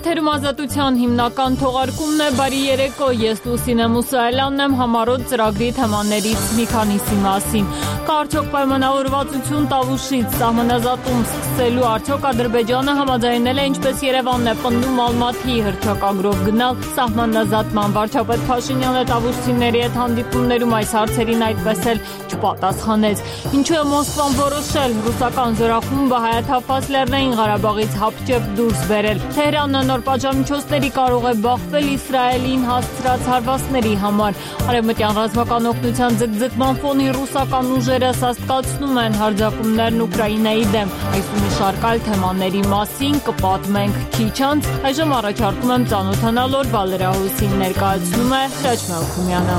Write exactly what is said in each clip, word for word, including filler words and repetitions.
Եթերում ազատության հիմնական թողարկումն է, բարի երեկո, ես Լուսինե Մուսայելյանն եմ, համառոտ ծրագրի թեմաներից մի քանիսի մասին։ Կա արդյոք պայմանավորվածություն Տավուշից սահմանազատում սկսելու, արդյոք Ադրբեջանը համաձայնել է, ինչպես Երևանն է պնդում, Ալմաթիի հռչակագրով գնալ սահմանազատման։ Վարչապետ Փաշինյանը Տավուշցիների հետ հանդիպումներում այս հարցերին այդպես էլ չպատասխանեց։ Ինչու է Մոսկվան որոշել ռուսական զորախումբը Հայաթափված Լեռնային Ղարաբաղից հապճեպ դուրս բերել։ Թեհրանը նոր պատժամիջոցների կարող է բախվել Իսրայելին հասցրած հարվածների համար։ Արևմտյան ռազմական օգնության ձգձգման ֆոնի ռուսական ուժերը սաստկացնում են հարձակումներն Ուկրաինայի դեմ։ Այս ու մի շարք այլ թեմաների մասին կպատմենք քիչ անց։ Այժմ առաջարկում եմ ծանոթանալ օրվա լրահոսին, ներկայացնում է Հրաչ Մելքումյանը։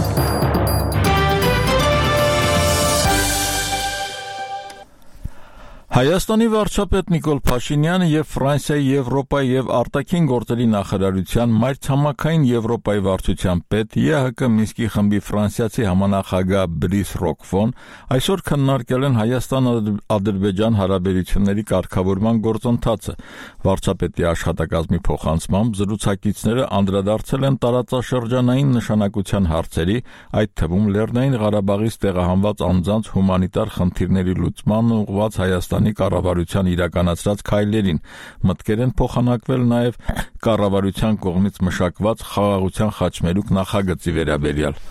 Հայաստանի վարչապետ Նիկոլ Փաշինյանը եւ Ֆրանսիայի, Եվրոպայի եւ արտաքին գործերի նախարարության մայրցամաքային Եվրոպայի վարչության պետ Է Հ Կ Մինսկի խմբի ֆրանսիացի համանախագահ Բրիս Ռոկֆոն այսօր քննարկել են Հայաստան-Ադրբեջան հարաբերությունների կարգավորման գործընթացը։ Վարչապետի աշխատակազմի փոխանցմամբ զրուցակիցները անդրադարձել են տարածաշրջանային նշանակության հարցերի, այդ թվում Լեռնային Ղարաբաղից տեղահանված անձանց հումանիտար խնդիրների լուծման ուղղված Հայաստանի կառավարության իրականացրած քայլերին, մտքեր են փոխանակվել նաև կառավարության կողմից մշակված խաղաղության խաչմերուկ նախագծի վերաբերյալ։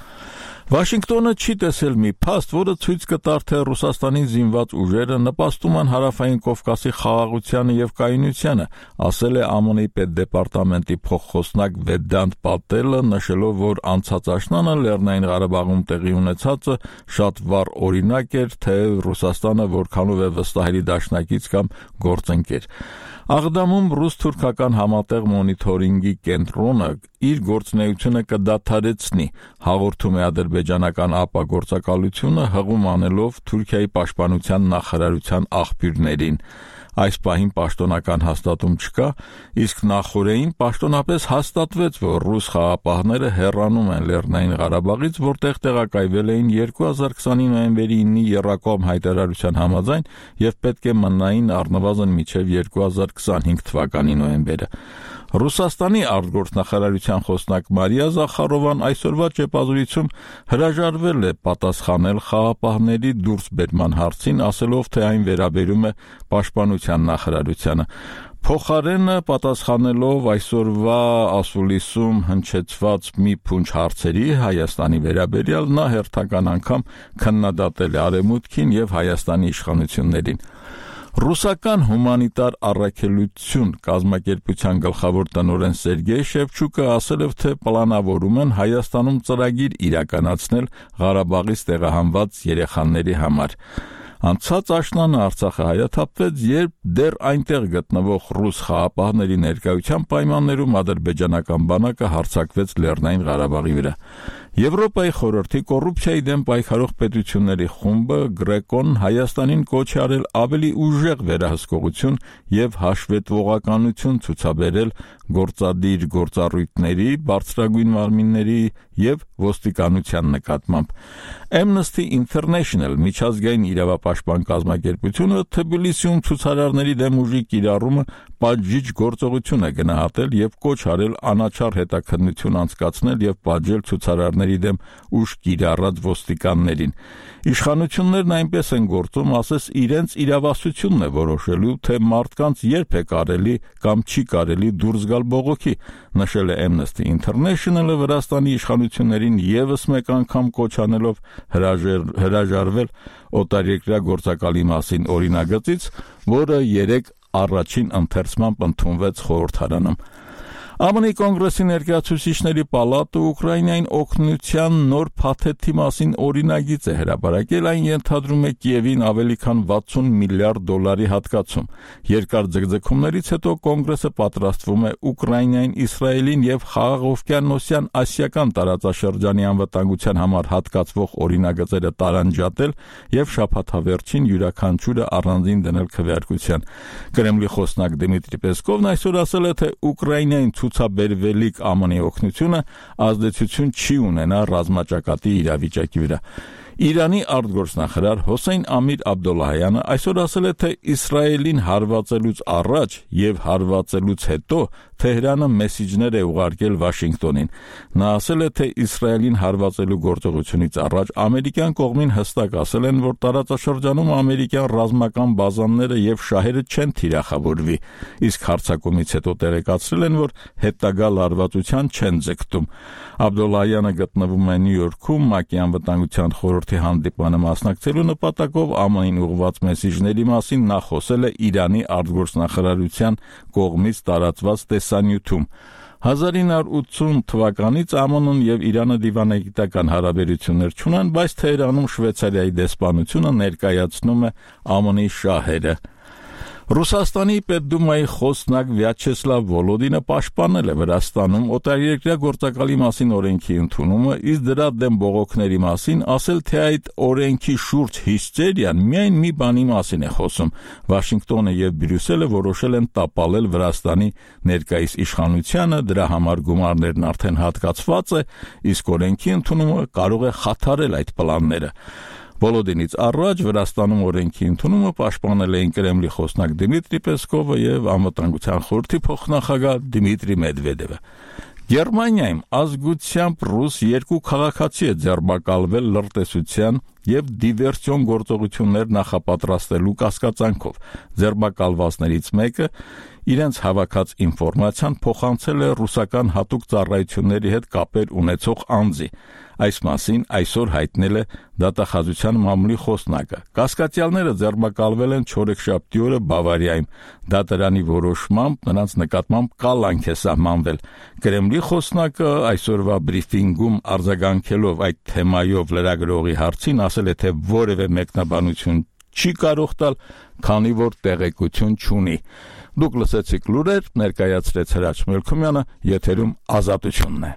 Վաշինգտոնը չի տեսել մի փաստ, որը ցույց կտար, թե Ռուսաստանի զինված ուժերը նպաստում են Հարավային Կովկասի խաղաղությանը եւ կայունությանը, ասել է Ամենի պետդեպարտամենտի փոխխոսնակ Վեդանտ Պատելը, նշելով, որ անցած աշնանը Լեռնային Ղարաբաղում տեղի ունեցածը շատ վառ օրինակ էր, թե Ռուսաստանը որքանով է վստահելի դաշնակից կամ գործընկեր։ Աղդամում ռուս-թուրքական համատեղ մոնիթորինգի կենտրոնը իր գործունեությունը կդադարեցնի, հաղորդում է ադրբեջանական ԱՊԱ գործակալությունը, հղում անելով Թուրքիայի պաշտպանության նախարարության աղբյուրներին։ Այս պահին պաշտոնական հաստատում չկա, իսկ նախորդին պաշտոնապես հաստատվեց, որ ռուս խաղապահները հեռանում են Լեռնային Ղարաբաղից, որտեղ տեղակայվել էին երկու հազար քսանի նոյեմբերի իննի եռակողմ հայտարարության համաձայն եւ պետք է մնային առնվազն մինչեւ երկու հազար քսանհինգ թվականի նոյեմբերը։ Ռուսաստանի արտգործնախարարության խոսնակ Մարիա Զախարովան այսօրվա ճեպազրույցում հրաժարվել է պատասխանել խաղապահների դուրսբերման հարցին, ասելով, թե այն վերաբերում է պաշտպանության նախարարությանը։ Փոխարենը պատասխանելով այսօրվա ասուլիսում հնչեցված մի փունջ հարցերի Հայաստանի վերաբերյալ, նա հերթական անգամ քննադատել է Արևմուտքին եւ Հայաստանի իշխանություններին։ Ռուսական հումանիտար առաքելություն կազմակերպության գլխավոր տնօրեն Սերգեյ Շևչուկը ասել է, թե պլանավորում են Հայաստանում ծրագիր իրականացնել Ղարաբաղից տեղահանված երեխաների համար։ Անցած աշնանը Արցախը հայաթափվեց, երբ դեռ այնտեղ գտնվող ռուս խաղապահների ներկայության պայմաններում ադրբեջանական բանակը հարձակվեց Լեռնային Ղարաբաղի վրա։ Եվրոպայի խորհրդի կոռուպցիայի դեմ պայքարող պետությունների խումբը Գրեկոն Հայաստանին կոչ է արել ավելի ուժեղ վերահսկողություն եւ հաշվետվողականություն ցուցաբերել գործադիր գործառույթների, բարձրագույն մարմինների եւ ոստիկանության նկատմամբ։ Amnesty International միջազգային իրավապաշտպան կազմակերպությունը Թբիլիսիում ցուցարարների դեմ ուժի կիրառումը պատժիչ գործողություն է գնահատել եւ կոչ արել անաչառ հետաքննություն անցկացնել եւ պատժել ցուցարարների դեմ ուժ կիրառած ոստիկաններին։ Իշխանություններն այնպես են գործում, ասես իրենց իրավասությունն է որոշելու, թե մարդկանց երբ է կարելի կամ չի կարելի դուրս գալ բողոքի, նշել է Amnesty International-ը Վրաստանի իշխանություններին եւս մեկ անգամ կոչ անելով հրաժարվել օտարերկրյա գործակալի մասին օրինագծից, որը երեք առաջին ընթերցմամբ ընդունվեց խորհրդարանում։ ԱՄՆ-ի կոնգրեսի ներկայացուցիչների պալատը Ուկրաինային օգնության նոր փաթեթի մասին օրինագիծ է հրապարակել, այն ենթադրում է Կիևին ավելի քան վաթսուն միլիարդ դոլարի հատկացում։ Երկար ձգձգումներից հետո կոնգրեսը պատրաստվում է Ուկրաինային, Իսրայելին եւ Խաղաղօվկիանոսյան ասիական տարածաշրջանի անվտանգության համար հատկացվող օրինագծերը տարանջատել եւ շաբաթավերջին յուրաքանչյուրը առանձին դնել քվեարկության։ Կրեմլի խոսնակ Դմիտրի Պեսկովն այսօր ասել է, թե Ուկրաինային ցուցաբերվելիք ԱՄՆ-ի օգնությունը ազդեցություն չի ունենա ռազմաճակատի իրավիճակի վրա։ Իրանի արտգործնախարար Հոսեյն Ամիր Աբդոլլահյանը այսօր ասել է, թե Իսրայելին հարվածելուց առաջ եւ հարվածելուց հետո Թեհրանը մեսիջներ է ուղարկել Վաշինգտոնին։ Նա ասել է, թե Իսրայելին հարվածելու գործողությունից առաջ ամերիկյան կողմին հստակ ասել են, որ տարածաշրջանում ամերիկյան ռազմական բազաները եւ շահերը չեն թիրախավորվի, իսկ հարձակումից հետո տեղեկացրել են, որ հետագա լարվածության չեն ձգտում։ Աբդոլլահյանը գտնվում է Նյու Յորքում ՄԱԿ-ի անվտանգության խորհրդի հանդիպմանը մասնակցելու նպատակով ԱՄՆ-ին ուղղված մեսիջների մասին նա խոսել է Իրանի արտգործնախարարության կողմից տարածված տեսանյութում։ հազար ինը հարյուր ութսուն թվականից ԱՄՆ-ն եւ Իրանը դիվանագիտական հարաբերություններ չունեն, բայց Թեհրանում Շվեյցարիայի դեսպանությունը ներկայացնում է ԱՄՆ-ի շահերը։ Ռուսաստանի Պետդումայի խոսնակ Վյաչեսլավ Վոլոդինը պաշտպանել է Վրաստանում օտարերկրյա գործակալի մասին օրենքի ընդունումը, իսկ դրա դեմ բողոքների մասին ասել, թե այդ օրենքի շուրջ հիստերիան միայն մի բանի մասին է խոսում։ Վաշինգտոնը եւ Բրյուսելը որոշել են տապալել Վրաստանի ներկայիս իշխանությանը, դրա համար գումարներն արդեն հատկացված է, իսկ օրենքի ընդունումը կարող է խաթարել այդ պլանները։ Վոլոդինից առաջ Վրաստանում օրենքի ընդունումը պաշտպանել էին Կրեմլի խոսնակ Դիմիտրի Պեսկովը եւ անվտանգության խորհրդի փոխնախագահ Դիմիտրի Մեդվեդևը։ Գերմանիայում ազգությամբ ռուս երկու քաղաքացի է ձերբակալվել լրտեսության եւ դիվերսիոն գործողություններ նախապատրաստելու կասկածանքով։ Ձերբակալվածներից մեկը իրենց հավաքած ինֆորմացիան փոխանցել է ռուսական հատուկ ծառայությունների հետ կապեր ունեցող անձի։ Այս մասին այսօր հայտնել է դատախազության մամուլի խոսնակը։ Կասկածյալները ձերբակալվել են չորեքշաբթի օրը Բավարիայում։ Դատարանի որոշմամբ նրանց նկատմամբ կալանք է սահմանվել։ Կրեմլի խոսնակը այսօրվա բրիֆինգում արձագանքելով այդ թեմայով լրագրողի հարցին ասել է, թե որևէ մեկնաբանություն չի կարող տալ, քանի որ տեղեկություն չունի։ Դուք լսեցիք լուրեր, ներկայացրեց Հրաչ Մելքումյանը, եթերում Ազատությունն է։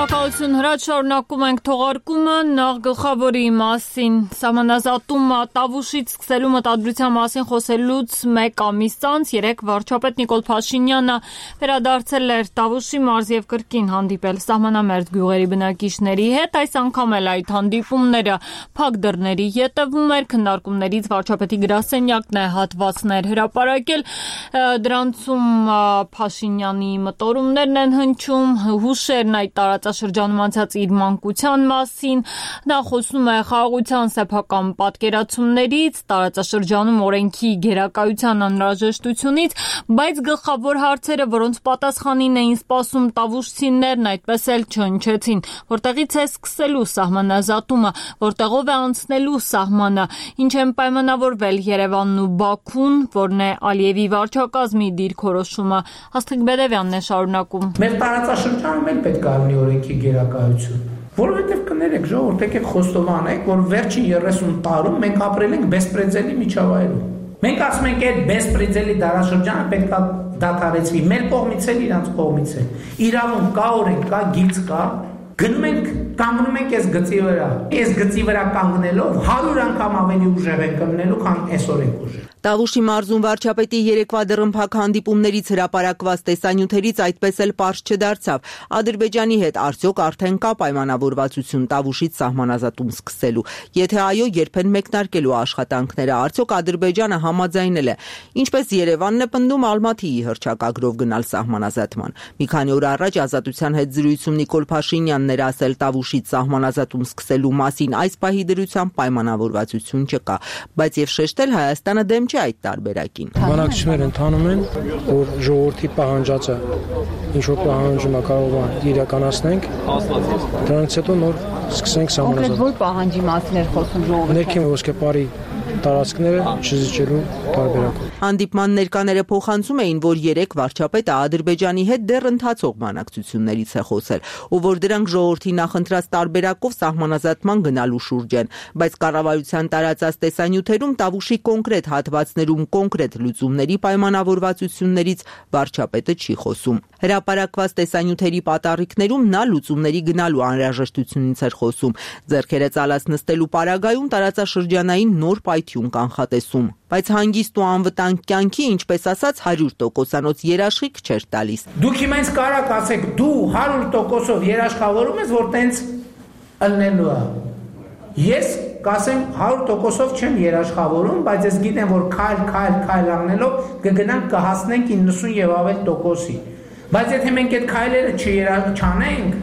Շնորհակալություն Հրաչ, շարունակում ենք թողարկումը նախ գլխավորի մասին։ Սահմանազատումը Տավուշից սկսելու մտադրության մասին խոսելուց մեկ ամիս անց երեկ վարչապետ Նիկոլ Փաշինյանը վերադարձել էր Տավուշի մարզ եւ կրկին հանդիպել սահմանամերձ գյուղերի բնակիչների հետ։ Այս անգամ էլ այդ հանդիպումները փակ դռների ետևում էր, քննարկումներից վարչապետի գրասենյակն է հատվածներ հրապարակել։ Դրանցում Փաշինյանի մտորումներն են հնչում, հուշերն այդ տարածաշրջանում անցած իր մանկության մասին։ Նա խոսում է խաղաղության սեփական պատկերացումներից, տարածաշրջանում օրենքի գերակայության անհրաժեշտությունից, բայց գլխավոր հարցերը, որոնց պատասխանին էին սպասում տավուշցիներն, այդպես էլ չհնչեցին։ Որտեղից է սկսելու սահմանազատումը, որտեղով է անցնելու սահմանը, ինչ են պայմանավորվել Երևանն ու Բաքուն, որն է Ալիևի վարչակազմի դիրքորոշումը։ Աստղիկ Բեդևյանն է շարունակում։ Մեր տարածաշրջանում էլ պետք է լինի օրենքի գերակայություն, որովհետև կներեք ժողովուրդ, եկեք խոստովանենք, որ վերջին երեսուն տարում մենք ապրել ենք բեսպրեդելի միջավայրում։ Մենք ասում ենք, այդ բեսպրեդելի դարաշրջանը պետք է դադարեցվի, մեր կողմից էլ, իրանց կողմից էլ։ Իրավունք կա, օրենք կա, գիծ կա, գնում ենք, կանգնում ենք այս գծի վրա։ Այս գծի վրա կանգնելով հարյուր անգամ ավելի ուժեղ ենք կանգնելու, քան այսօր ենք ուժեղ։ Տավուշի մարզում վարչապետի երեկվա դռնփակ հանդիպումներից հրապարակված տեսանյութերից այդպես էլ պարզ չդարձավ։ Ադրբեջանի հետ արդյոք արդեն կա պայմանավորվածություն Տավուշից սահմանազատում սկսելու։ Եթե այո, երբեն մեկնարկելու աշխատանքները, արդյոք Ադրբեջանը համաձայնել է։ Ինչպես Երևանն է պնդում, Ալմաթիի հռչակագրով գնալ սահմանազատման։ Մի քանի օր առաջ Ազատության հետ զրույցում Նիկոլ Փաշինյանն էր ասել Տավուշից սահմանազատում սկսելու մասին այս պահի դրությամբ պայմանավորվածություն չկա, բայց եւ շեշտել Հայաստանը դեմ այդ տարբերակին։ Բանակցություններ ընթանում են, որ ժողովրդի պահանջածը ինչ որ պահանջում է կարող է իրականացնենք, դրանից հետո նոր սկսենք սահմանազատել։ Կոնկրետ որ պահանջի մասին էր խոսում ժողովուրդը։ Ներքին ոսկեպարի տարածքները չզիջելու տարբերակով։ Հանդիպման ներկաները փոխանցում էին, որ երեք վարչապետը Ադրբեջանի հետ դեռ ընթացող բանակցություններից է խոսել, ու որ դրանք ժողովրդի նախընտրած տարբերակով սահմանազատման գնալու շուրջ են, բայց կառավարության տարածած տեսանյութերում Տավուշի կոնկրետ հատվածներում կոնկրետ լուծումների պայմանավորվածություններից վարչապետը չի խոսում։ Հրապարակված տեսանյութերի պատառիկներում նա լուծումների գնալու անհրաժեշտությունից էր խոսում։ Ձեռքերը ծալած նստելու պարագայում տարածաշրջանային նոր պայթյուն բարություն կանխատեսում, բայց հանգիստ ու անվտանգ կյանքի, ինչպես ասած, հարյուր տոկոսանոց երաշխիք չէր տալիս։ Դուք հիմա ինձ կարաք ասեք, դու հարյուր տոկոսով երաշխավորում ես, որ տենց ըլնելու է։ Ես կասեմ հարյուր տոկոսով չեմ երաշխավորում, բայց ես գիտեմ, որ քայլ քայլ քայլ առնելով կգնանք կհասնենք իննսուն եւ ավել տոկոսի։ Բայց եթե մենք այդ քայլերը չանենք,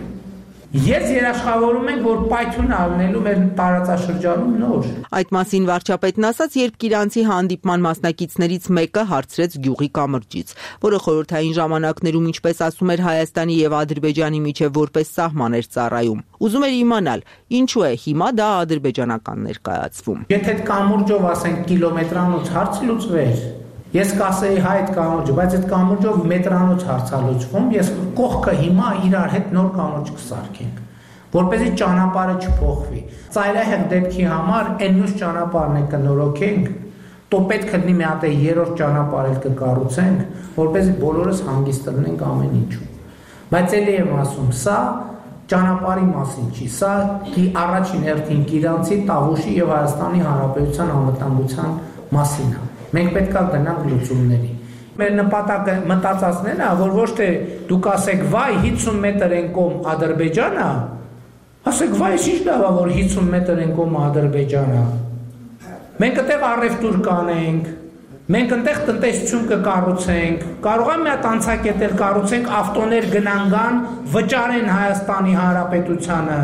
ես երաշխավորում ենք, որ պայթյուն առնելու մեր տարածաշրջանում նոր։ Այդ մասին վարչապետն ասաց, երբ Կիրանցի հանդիպման մասնակիցներից մեկը հարցրեց գյուղի կամրջից, որը խորհրդային ժամանակներում, ինչպես ասում էր, Հայաստանի եւ Ադրբեջանի միջև որպես սահման էր ծառայում։ Ուզում էր իմանալ, ինչու է հիմա դա ադրբեջանական ներկայացվում։ Եթե այդ կամուրջով ասենք կիլոմետրանոց հարց լուծվեր, ես կասեի հայ այդ կամուրջը, բայց այդ կամուրջով մետրանոց հարցալուծվում, ես կողքը հիմա իրար հետ նոր կամուրջ կսարքենք, որպեսզի ճանապարհը չփոխվի։ Ծայրահեղ դեպքի համար այն մյուս ճանապարհն է կնորոգենք, то պետք է լինի մի հատ երրորդ ճանապարհ էլ կկառուցենք, որպեսզի բոլորս հանգիստ լինենք ամեն ինչում։ Բայց ելի եմ ասում, սա ճանապարհի մասին չի, սա առաջին հերթին Կիրանցի, Տավուշի եւ Հայաստանի Հանրապետության անվտանգության մասին է։ Մենք պետք է գնանք լուծումների։ Մեր նպատակը մտածածն է, որ ոչ թե դուք ասեք վայ հիսուն մետր են կողմ Ադրբեջանը, ասեք վայ ինչ լավ է, որ հիսուն մետր են կողմ Ադրբեջանը։ Մենք այդտեղ առևտուր կանենք, մենք այդտեղ տնտեսություն կկառուցենք, կարող է մի հատ անցակետել կառուցենք, ավտոներ գնանգան, վճարեն Հայաստանի Հանրապետությանը։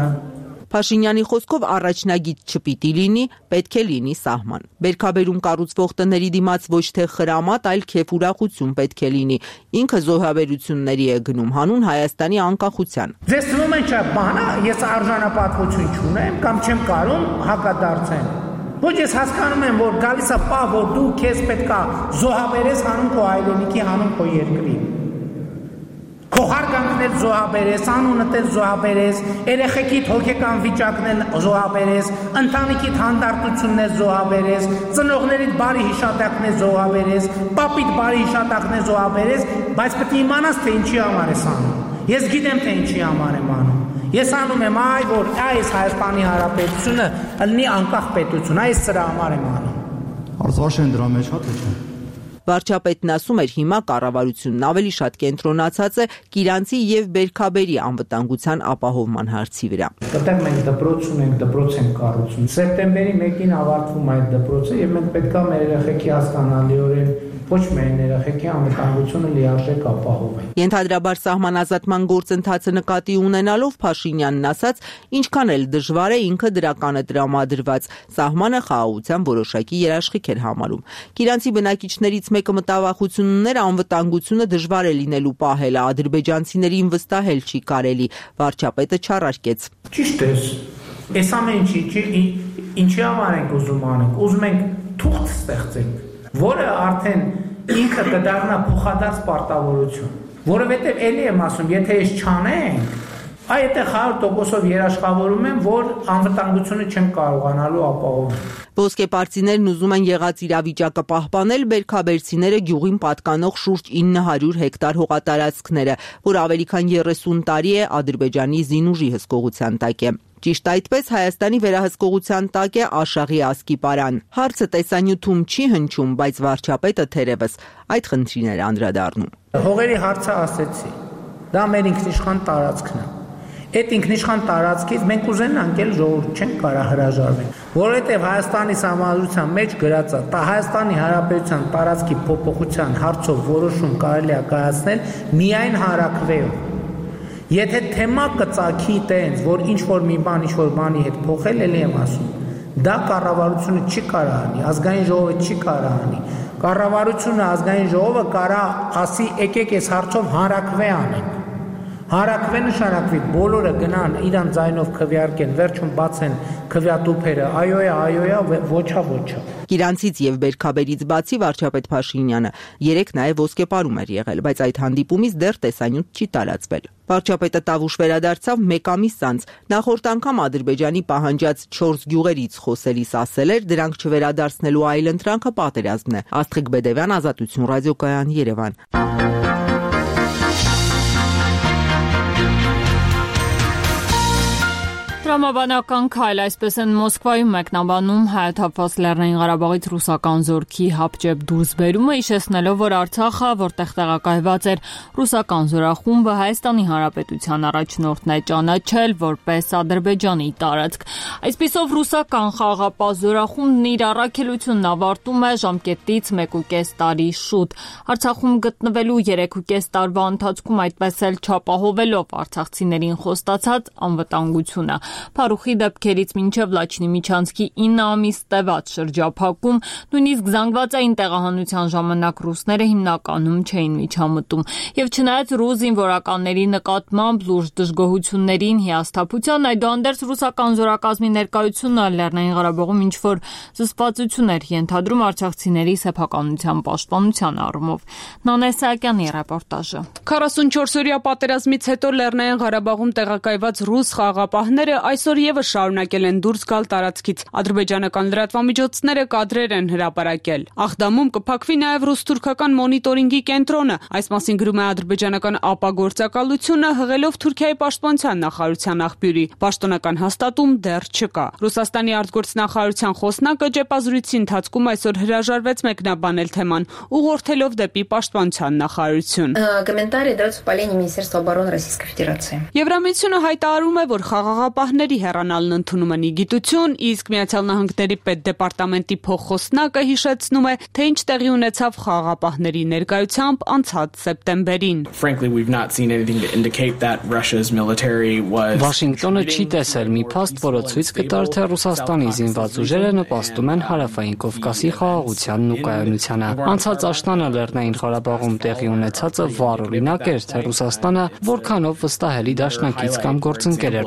Փաշինյանի խոսքով առաջնագիծ չպիտի լինի, պետք է լինի սահման։ Բերքաբերում կառուցվող տների դիմաց ոչ թե խրամատ, այլ քեֆուրախություն պետք է լինի։ Ինքը զոհաբերությունների է գնում հանուն Հայաստանի անկախության։ Ձեզ թվում է չէ, բանա, ես արժանապատվություն չունեմ կամ չեմ կարում հակադարձեմ։ Ոչ ես հասկանում եմ, որ գալիս է պահ, որ դու քեզ պետքա զոհաբերես հանուն քո հայրենիքի, հանուն քո երկրի։ Քո հարգանքն էլ զոհաբերես, անունդ էլ զոհաբերես, երեխեքիդ հոգեկան վիճակն էլ զոհաբերես, ընտանիքիդ հանդարտությունն էլ զոհաբերես, ծնողներիդ բարի հիշատակն էլ զոհաբերես, պապիդ բարի հիշատակն էլ զոհաբերես, բայց պետք է իմանաս, թե ինչի համար ես անում։ Ես գիտեմ, թե ինչի համար եմ անում։ Ես անում եմ այ, որ այս Հայաստանի Հանրապետությունը լինի անկախ պետություն, այս սրա համար եմ անում։ Արծվաշեն դրա մեջ հա թե չէ։ Վարչապետն ասում էր, հիմա կառավարությունն ավելի շատ կենտրոնացած է Կիրանցի եւ Բերքաբերի անվտանգության ապահովման հարցի վրա։ Այդտեղ մենք դպրոց ունենք, դպրոց ենք կառուցում։ Սեպտեմբերի մեկին ավարտվում է այդ դպրոցը եւ մենք պետք է մեր երեխեքի հասկանալիորեն ոչ միայն երեխեքի անվտանգությունը լիարժեք ապահովենք։ Ենթադրաբար սահմանազատման գործընթացը նկատի ունենալով Փաշինյանն ասաց, ինչքան էլ դժվար է ինքը դրականը տրամադրված, սահմանը խաղաղության որոշակի երաշխիք էր համարում։ Կիրանցի բնակիչներից մեկը մտավախություն ուներ, անվտանգությունը դժվար է լինելու պահելը, ադրբեջանցիներին վստահել չի կարելի, վարչապետը չառարկեց։ Ճիշտ է։ Այս ամեն ինչի ինչի համար ենք ուզում անենք, ուզում ենք թուղթ ստեղծենք, որը արդեն ինքը կդառնա փոխադարձ պարտավորություն, որովհետև էլի եմ ասում, եթե ես չանենք, այ այդտեղ հարյուր տոկոսով երաշխավորում եմ, որ անվտանգությունը չեմ կարողանալու ապահովել։ Ոսկեպարծիներն ուզում են եղած իրավիճակը պահպանել, բերքաբերցիները գյուղին պատկանող շուրջ ինը հարյուր հեկտար հողատարածքները, որ ավելի քան երեսուն տարի է Ադրբեջանի զինուժի հսկողության տակ է։ Ճիշտ այդպես Հայաստանի վերահսկողության տակ է Աշաղի ասկիպարան։ Հարցը տեսանյութում չի հնչում, բայց վարչապետը թերևս այդ խնդրին էր անդրադառնում։ Հողերի հարցը ասեցի։ Դա մեր ինքնիշխան տարածքն է։ Այդ ինքնիշխան տարածքից մենք ուզենանք էլ ժողովուրդ չենք կարա հրաժարվենք, որովհետև Հայաստանի Սահմանադրության մեջ գրած է, տա Հայաստանի Հանրապետության տարածքի փոփոխության հարցով որոշում կարելի է կայացնել միայն հանրաքվեով։ Եթե թեմա կծագի տենց, որ ինչ-որ մի բան, ինչ-որ բանի հետ փոխել, էլի եմ ասում, դա կառավարությունը չի կարա անի, ազգային ժողովը չի կարա անի։ Կառավարությունը, ազգային ժողովը կարա ասի եկեք այս հարցով հանրաքվե անենք։ Հանրաքվե նշանակվի բոլորը գնան իրան ձայնով քվեարկեն, վերջում բացեն քվեատուփերը, այո է, այո է, ոչա, ոչա։ Կիրանցից եւ Բերքաբերից բացի վարչապետ Փաշինյանը երեք նաեւ ոսկեպարում էր եղել, բայց այդ հանդիպումից դեռ տեսանյութ չի տարածվել։ Վարչապետը Տավուշ վերադարձավ մեկ ամիս անց։ Նախորդ անգամ Ադրբեջանի պահանջած չորս գյուղերից խոսելիս ասել էր, դրանք չվերադարձնելու այլընտրանքը պատերազմն է։ Աստղիկ Բեդևյան, Ազատություն ռադիոկայան, Երևան։ Տրամաբանական քայլ, այսպես են Մոսկվայում մեկնաբանում հայաթափված Լեռնային Ղարաբաղից ռուսական զորքի հապճեպ դուրսբերումը, հիշեցնելով, որ Արցախը, որտեղ տեղակայված էր ռուսական զորախումբը, Հայաստանի Հանրապետության առաջնորդն է ճանաչել որպես Ադրբեջանի տարածք։ Այսպիսով ռուսական խաղաղապահ զորախումբն իր առաքելությունն ավարտում է ժամկետից մեկուկես տարի շուտ։ Արցախում գտնվելու երեքուկես տարվա ընթացքում այդպես էլ չապահովելով արցախցիներին խոստացած անվտանգությունը։ Փարուխի դեպքերից մինչև Լաչինի Միչանցքի ինը ամիս տևած շրջափակում, նույնիսկ զանգվածային տեղահանության ժամանակ ռուսները հիմնականում չէին միջամտում։ Եվ չնայած ռուս զինվորականների նկատմամբ լուրջ դժգոհություններին, հիասթափության, այդուհանդերձ ռուսական զորակազմի ներկայությունը Լեռնային Ղարաբաղում ինչ-որ զսպվածություն էր ենթադրում արցախցիների սեփականության պաշտպանության առումով։ Նանե Սահակյանի ռեպորտաժը։ քառասունչորսօրյա պատերազմից հետո Լեռնային Ղարաբաղում տեղակայված ռուս խաղաղապահները այսօր եւս շարունակել են դուրս գալ տարածքից։ Ադրբեջանական լրատվամիջոցները կադրեր են հրապարակել։ Աղդամում կփակվի նաև ռուս-թուրքական մոնիտորինգի կենտրոնը։ Այս մասին գրում է ադրբեջանական ԱՊԱ գործակալությունը, հղելով Թուրքիայի պաշտպանության նախարարության աղբյուրի։ Պաշտոնական հաստատում դեռ չկա։ Ռուսաստանի արտգործնախարարության խոսնակը ճեպազրույցի ընթացքում այսօր հրաժարվեց մեկնաբանել թեման, ուղղորդելով դեպի պաշտպանության նախարարություն։ Комментарии даются в полении Министерства обороны Российской Федерации. Եվրամիությունը հայտարարում է, որ խաղաղապահների հեռանալն ընդունում են իգիտություն, իսկ Միացյալ Նահանգների պետդեպարտամենտի փոխխոսնակը հիշեցնում է, թե ինչ տեղի ունեցավ խաղաղապահների ներկայությամբ անցած սեպտեմբերին։ Վաշինգտոնը չի տեսել մի փաստ, որը ցույց կտար, թե Ռուսաստանի զինված ուժերը նպաստում են Հարավային Կովկասի խաղաղությանն ու կայունությանը։ Անցած աշնանը Լեռնային Ղարաբաղում տեղի ունեցածը վառ օրինակ էր, թե Ռուսաստանը որքանով վստահելի դաշնակից կամ գործընկեր էր։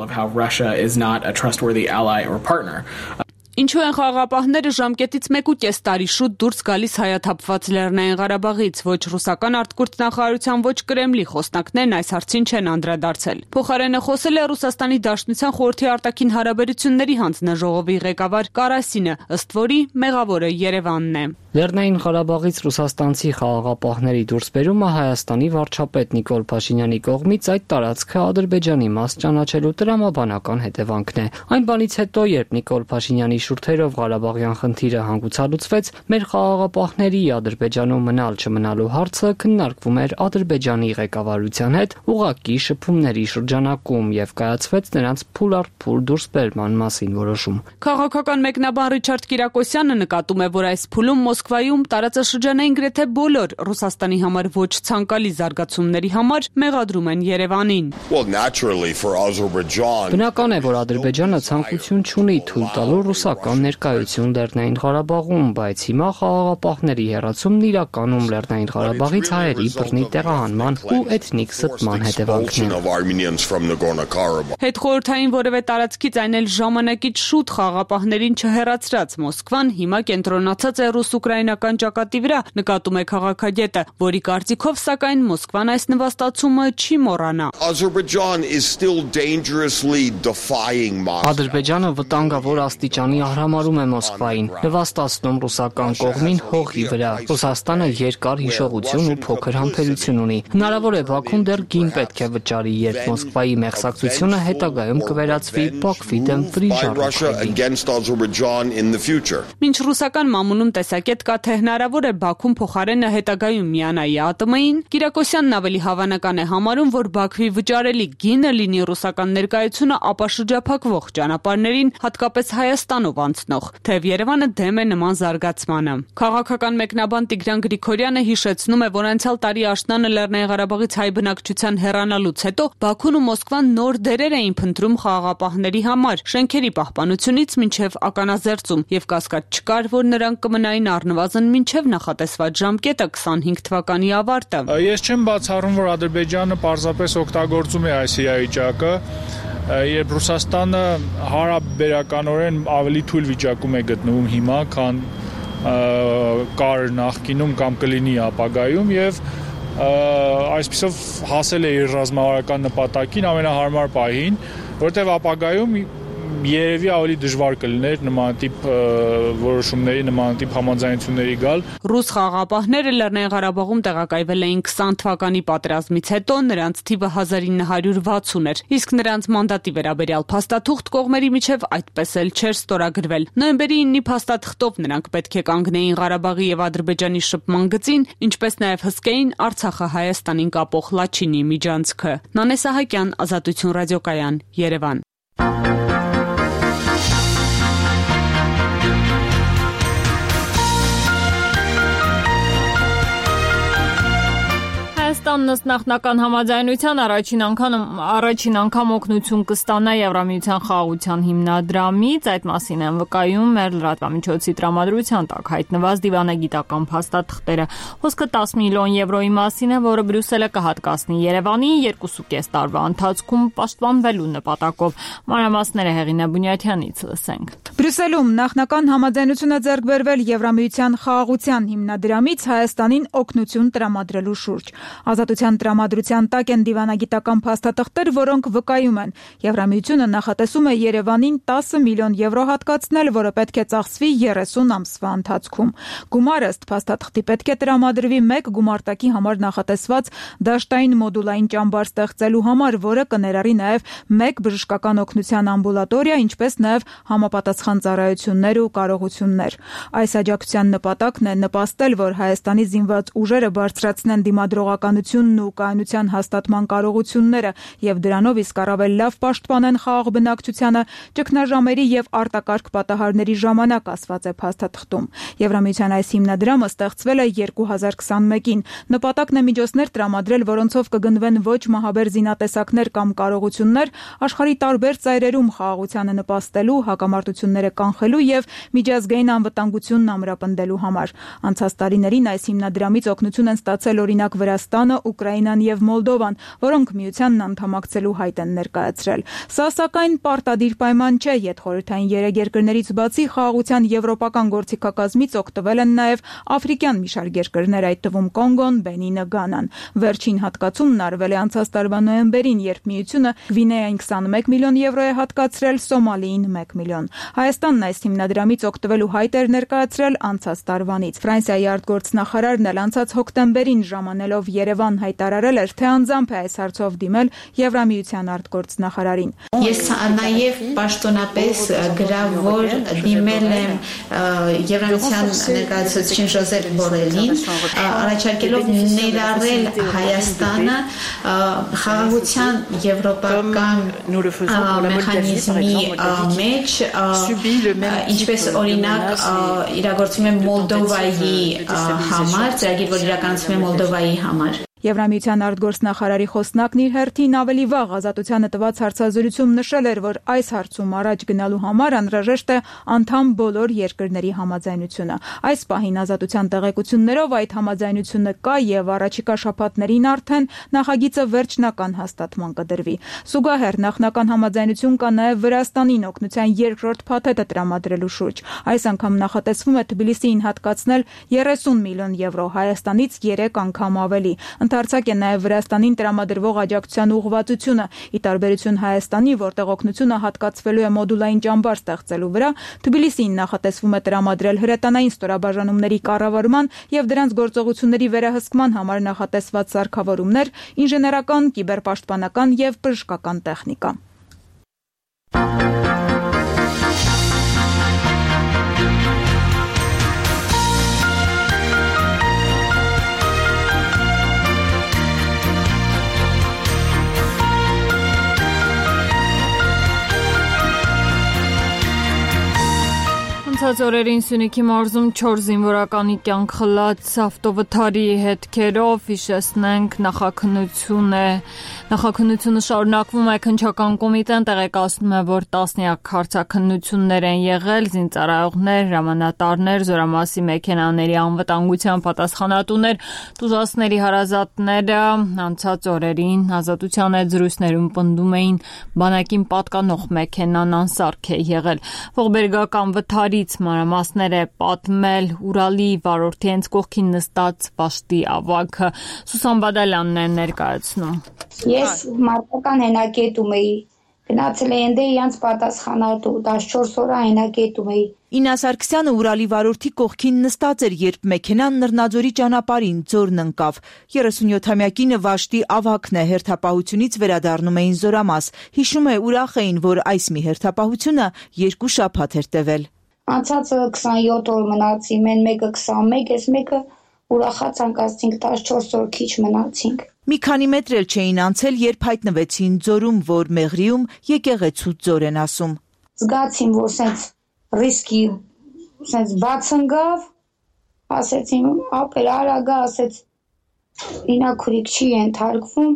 Ինչու են խաղաղապահները ժամկետից մեկուկես տարի շուտ դուրս գալիս հայաթափված Լեռնային Ղարաբաղից, ոչ ռուսական արտգործնախարարության, ոչ Կրեմլի խոսնակներն այս հարցին չեն անդրադարձել։ Փոխարենը խոսել է Ռուսաստանի Դաշնության խորհրդի արտաքին հարաբերությունների հանձնաժողովի ղեկավար Կարասինը, ըստ որի մեղավորը Երևանն է։ Լեռնային Ղարաբաղից ռուսաստանցի խաղաղապահների դուրսբերումը Հայաստանի վարչապետ Նիկոլ Փաշինյանի կողմից այդ տարածքը Ադրբեջանի մաս ճանաչելու տրամաբանական հետևանքն է։ Այն բանից հետո, երբ Նիկոլ Փաշինյանի շուրթերով Ղարաբաղյան խնդիրը հանգուցալուծվեց, մեր խաղաղապահների Ադրբեջանում մնալ չմնալու հարցը քննարկվում էր Ադրբեջանի ղեկավարության հետ ուղղակի շփումների շրջանակում եւ կայացվեց նրանց փուլ առ փուլ դուրսբերման մասին որոշում։ Քաղաքական մեկնաբան Ռիչարդ Կիրակոսյանը նկատում է, որ այս փուլում Մոսկվայում տարածաշրջանային գրեթե բոլոր Ռուսաստանի համար ոչ ցանկալի զարգացումների համար մեղադրում են Երևանին։ Բնական է, որ Ադրբեջանը ցանկություն չունի թույլ տալու ռուսական ներկայություն Լեռնային Ղարաբաղում, բայց հիմա խաղաղապահների հեռացումն իրականում Լեռնային Ղարաբաղից հայերի բռնի տեղահանման ու էթնիկ ստման հետևանքն է։ Հետխորհրդային որևէ տարածքից, այն էլ ժամանակից շուտ խաղաղապահներին չհեռացրած Մոսկվան հիմա կենտրոնացած է ռուս-ուկրաինական ճակատի վրա, նկատում է քաղաքագետը, որի կարծիքով սակայն Մոսկվան այս նվաստացումը չի մոռանա։ Ադրբեջանը վտանգավոր աստիճանի արհամարհում է Մոսկվային, նվաստացնում ռուսական կողմին հողի վրա։ Ռուսաստանը երկար հիշողություն ու փոքր համբերություն ունի։ Հնարավոր է Բաքուն դեռ գին պետք է վճարի, երբ Մոսկվայի մեղսակցությունը հետագայում կվերածվի Բաքվի դեմ վրիժառույթի։ Մինչ ռուսական մամուլում տեսակետ կա, թե հնարավոր է Բաքուն փոխարենը հետագայում միանա ԵԱՏՄ-ին, Կիրակոսյանն ավելի հավանական է համարում, որ Բաքվի վճարելի գինը լինի ռուսական ներկայությունը ապա շրջափակվող ճանապարհներին, հատկապես Հայաստանով անցնող, թեև Երևանը դեմ է նման զարգացմանը։ Քաղաքական մեկնաբան Տիգրան Գրիգորյանը հիշեցնում է, որ անցյալ տարի աշնանը Լեռնային Ղարաբաղից հայ բնակչության հեռանալուց հետո Բաքուն ու Մոսկվան նոր դերեր էին փնտրում խաղաղապահների համար, շենքերի պահպանությունից մինչև ականազերծում, եւ կասկած չկար, որ նրանք կմնային առնվազն մինչև նախատեսված ժամկետը քսանհինգ թվականի ավարտը։ Ես չեմ բացառում, որ Ադրբեջանը պարզապես օգտագործում է այս իրավիճակը, երբ Ռուսաստանը հարաբերականորեն ավելի թույլ վիճակում է գտնվում հիմա, քան կար նախկինում կամ կլինի ապագայում, եւ այսպիսով հասել է իր ռազմավարական նպատակին ամենահարմար պահին, որտեղ ապագայում երևի ավելի դժվար կլիներ նման տիպ որոշումների, նման տիպ համաձայնությունների գալ։ Ռուս խաղաղապահները Լեռնային Ղարաբաղում տեղակայվել էին քսան թվականի պատերազմից հետո, նրանց թիվը հազար ինը հարյուր վաթսուն էր, իսկ նրանց մանդատի վերաբերյալ փաստաթուղթ կողմերի միջև այդպես էլ չէր ստորագրվել։ Նոյեմբերի իննի փաստաթղթով նրանք պետք է կանգնեին Ղարաբաղի եւ Ադրբեջանի շփման գծին, ինչպես նաեւ հսկեին Արցախը Հայաստանին կապող Լաչինի միջանցքը։ Նանե Սահակյան, Ազատություն ռադիոկայան, Երևան։ Հայաստանն ըստ նախնական համաձայնության առաջին անգամ առաջին անգամ օգնություն կստանա Եվրամիության խաղաղության հիմնադրամից, այդ մասին են վկայում մեր լրատվամիջոցի տրամադրության տակ հայտնված դիվանագիտական փաստաթղթերը։ Խոսքը տասը միլիոն եվրոյի մասին է, որը Բրյուսելը կհատկացնի Երևանին երկուսուկես տարվա ընթացքում պաշտպանվելու նպատակով։ Մանրամասները Հեղինե Բունյաթյանից լսենք։ Բրյուսելում նախնական համաձայնություն է ձեռք բերվել Եվրամիության խաղաղության հիմնադրամից Հայաստանին օգնություն տրամադրելու շուրջ։ Ազատության տրամադրության տակ են դիվանագիտական փաստաթղթեր, որոնք վկայում են Եվրամիությունը նախատեսում է Երևանին տասը միլիոն եվրո հատկացնել, որը պետք է ծախսվի երեսուն ամսվա ընթացքում։ Գումարը ըստ փաստաթղթի պետք է տրամադրվի մեկ գումարտակի համար նախատեսված դաշտային մոդուլային ճամբար ստեղծելու համար, որը կներառի նաև մեկ բժշկական օգնության ամբուլատորիա, ինչպես նաև համապատասխան ծառայություններ ու կարողություններ։ Այս աջակցության նպատակն է նպաստել, որ Հայաստանի զինված ուժերը բարձրացնեն դիմադրողականությունն ու կայունության հաստատման կարողությունները եւ դրանով իսկ առավել լավ պաշտպանեն խաղաղ բնակչությանը ճգնաժամերի եւ արտակարգ պատահարների ժամանակ, ասված է փաստաթղթում։ Եվրամիության այս հիմնադրամը ստեղծվել է երկու հազար քսանմեկին։ Նպատակն է միջոցներ տրամադրել, որոնցով կգնվեն ոչ մահաբեր զինատեսակներ կամ կարողություններ աշխարհի տարբեր ծայրերում խաղաղությանը նպաստելու, հակամարտությունները կանխելու եւ միջազգային անվտանգությունն ամրապնդելու համար։ Անցած տարիներին այս հիմնադրամից օգնություն են ստացել օրինակ Վրաստանը, Ուկրաինան եւ Մոլդովան, որոնք միությանն անդամակցելու հայտ են ներկայացրել։ Սա սակայն պարտադիր պայման չէ, յետխորհրդային երեք երկրներից բացի խաղաղության եվրոպական գործիքակազմից օգտվել են նաեւ աֆրիկյան մի շարք երկրներ, այդ թվում Կոնգոն, Բենինը, Գանան։ Վերջին հատկացումն արվել է անցած տարվա նոյեմբերին, երբ միությունը Գվինեային քսանմեկ միլիոն եվրո է հատկացրել, Սոմալիին մեկ միլիոն։ Հայաստանն այս հիմնադրամից օգտվելու հայտ էր ներկայացրել անցած տարվանից։ Ֆրանսիայի արտգործնախարարն էլ անցած հոկտեմբերին ժամանելով Երևան հայտարարել էր, թե անձամբ է այս հարցով դիմել Եվրամիության արտգործնախարարին։ Ես նաև պաշտոնապես գրավոր դիմել եմ Եվրամիության ներկայացուցիչ Ժոզեփ Բորելին, առաջարկելով ներառել Հայաստանը խաղաղության եվրոպական մեխանիզմի մեջ, ինչպես օրինակ իրագործում է Մոլդովայի համար, ծրագիր, որ իրականացում է Մոլդովայի համար։ Եվրամիության արտգործնախարարի խոսնակն իր հերթին ավելի վաղ Ազատությանը տված հարցազրույցում նշել էր, որ այս հարցում առաջ գնալու համար անհրաժեշտ է անդամ բոլոր երկրների համաձայնությունը։ Այս պահին Ազատության տեղեկություններով այդ համաձայնությունը կա եւ առաջիկա շաբաթներին արդեն նախագիծը վերջնական հաստատման կդրվի։ Զուգահեռ նախնական համաձայնություն կա նաեւ Վրաստանին օգնության երկրորդ փաթեթը տրամադրելու շուրջ։ Այս անգամ նախատեսվում է Թբիլիսիին հատկացնել երեսուն միլիոն եվրո, Հայաստանից երեք անգամ ավելի։ Ընդարձակ է նաև Վրաստանին տրամադրվող աջակցության ուղղվածությունը։ Ի տարբերություն Հայաստանի, որտեղ օգնությունը հատկացվելու է մոդուլային ճամբար ստեղծելու վրա, Թբիլիսիին նախատեսվում է տրամադրել հրետանային ստորաբաժանումների կառավարման եւ դրանց գործողությունների վերահսկման համար նախատեսված սարքավորումներ, ինժեներական, կիբերպաշտպանական եւ բժշկական տեխնիկա։ Անցած օրերին Սյունիքի մարզում չորս զինվորականի կյանք խլած ավտովթարի հետքերով հիշեցնենք նախաքննություն է նախաքննությունը շարունակվում է քննչական կոմիտեն տեղեկացնում է, որ տասնյակ հարցաքննություններ են եղել, զինծառայողներ, հրամանատարներ, զորամասի մեքենաների անվտանգության պատասխանատուներ, տուժածների հարազատները անցած օրերին Ազատության հետ զրույցներում պնդում էին բանակին պատկանող մեքենան անսարք է եղել։ Ողբերգական վթարից մանրամասներ է պատմել Ուրալի վարորդի հենց կողքին նստած Վաշտի ավագը։ Սուսան Բադալյանն է ներկայացնում։ Ես մարտական հենակետում էի Գնացել էի ընդ իրանց պատասխանատու տասնչորս օր այնագետում էի։ Իննա Սարգսյանը Ուրալի վարորդի կողքին նստած էր, երբ մեքենան Նռնաձորի ճանապարհին ձորն ընկավ։ երեսունյոթամյա կինը Վաշտի ավագն է, հերթապահությունից վերադառնում էին Զորամաս։ Հիշում է, ուրախ էին, որ այս մի հերթապահությունը երկու շաբաթ էր տևել։ Անցած քսանյոթ օր մնացի, մեն մեկը քսանմեկ, ես մեկը ուրախած անկացինք տասնչորս օր քիչ մնացինք։ Մի քանի մետր էլ չէին անցել, երբ հայտնվեցին ձորում, որ Մեղրիում եկեղեցու ձոր են ասում։ Զգացին, որ սենց ռիսկի սենց բաց ընկավ, ասեցին, ապեր արագա, ասեց, ինաքուրիկ չի ենթարկվում,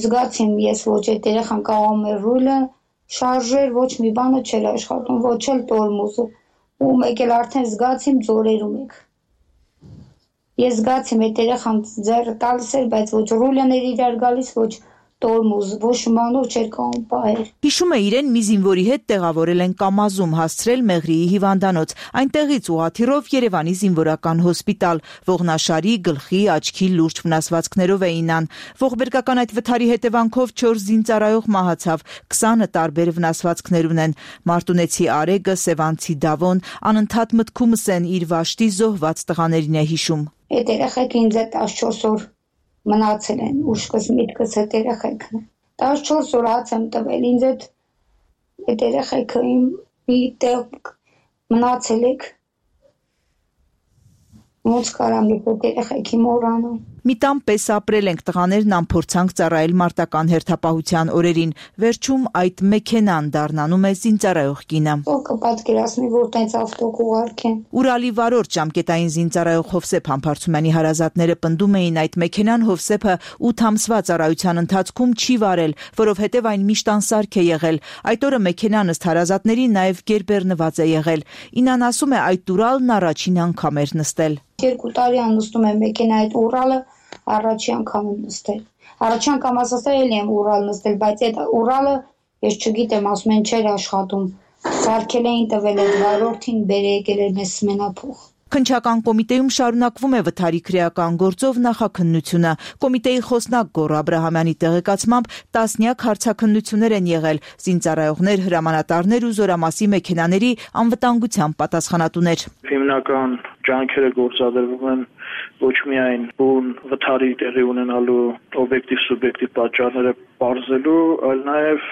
զգացին ես ոչ այդ երեխան կաղում էր ռուլը, շարժեր, ոչ մի բանը չէր աշխատում, ոչ էլ տորմուզը, ու մեկ էլ արդեն զգացիմ ձորերում եք։ Ես զգացիմ այդ երեխան ձեռը տալիս էր, բայց ոչ ռուլն էր իրար գալիս, ոչ տորմուզ, ոչ մանով չէր կարող պահել։ Հիշում է, իրեն մի զինվորի հետ տեղավորել են Կամազում, հասցրել Մեղրիի հիվանդանոց, այնտեղից ուղղաթիռով Երևանի զինվորական հոսպիտալ, ողնաշարի, գլխի, աչքի լուրջ վնասվածքներով էին ան։ Ողբերգական այդ վթարի հետևանքով չորս զինծառայող մահացավ, քսանը տարբեր վնասվածքներ ունեն։ Մարտունեցի Արեգը, Սևանցի Դավոն անընդհատ մտքումս են իր Վաշտի զոհված տղաներին է հիշում։ Այդ երեխեք ինձ է տասնչորս օր մնացել են, ուշքս միտքս այդ երեխեքն է։ տասնչորս օր հաց եմ տվել, ինձ այդ այդ երեխեքը իմ մի տեղ մնացել եք, ոնց կարամ այդ երեխեքի մոռանալ։ Մի տան պես ապրել ենք, տղաներն անփորձանք ծառայել մարտական հերթապահության օրերին, վերջում այդ մեքենան դառնանում է զինծառայող կինը։ Ով կպատկերացնի, որ տենց ավտոկ ուղարկեն։ Ուրալի վարորդ ժամկետային զինծառայող Հովսեփ Համբարձումյանի հարազատները պնդում էին, այդ մեքենան Հովսեփը ութ ամսվա ծառայության ընթացքում չի վարել, որովհետև այն միշտ անսարք է եղել։ Այդ օրը մեքենան ըստ հարազատների նաև գերբեռնված է եղել։ Ինան ասում է, այդ Ուրալն առաջին անգամ էր նստել։ Երկու տարի աննստում եմ մեքենա այդ Ուրալը առաջի անգամ եմ նստել։ Առաջի անգամ ասացա էլի եմ Ուրալ նստել, բայց այդ Ուրալը ես չգիտեմ, ասում են չէր աշխատում։ Սարքել էին տվել այդ վարորդին, բեր եկել էր մեզ սմենափող։ Քննչական կոմիտեում շարունակվում է վթարի քրեական գործով նախաքննությունը։ Կոմիտեի խոսնակ Գոռ Աբրահամյանի տեղեկացմամբ տասնյակ հարցաքննություններ են եղել, զինծառայողներ, հրամանատարներ ու Զորամասի մեքենաների անվտանգության պատասխանատուներ։ Հիմնական ջանքերը գործադրվում են ոչ միայն բուն վթարի տեղի ունենալու օբյեկտիվ սուբյեկտիվ պատճառները բարձելու, այլ նաև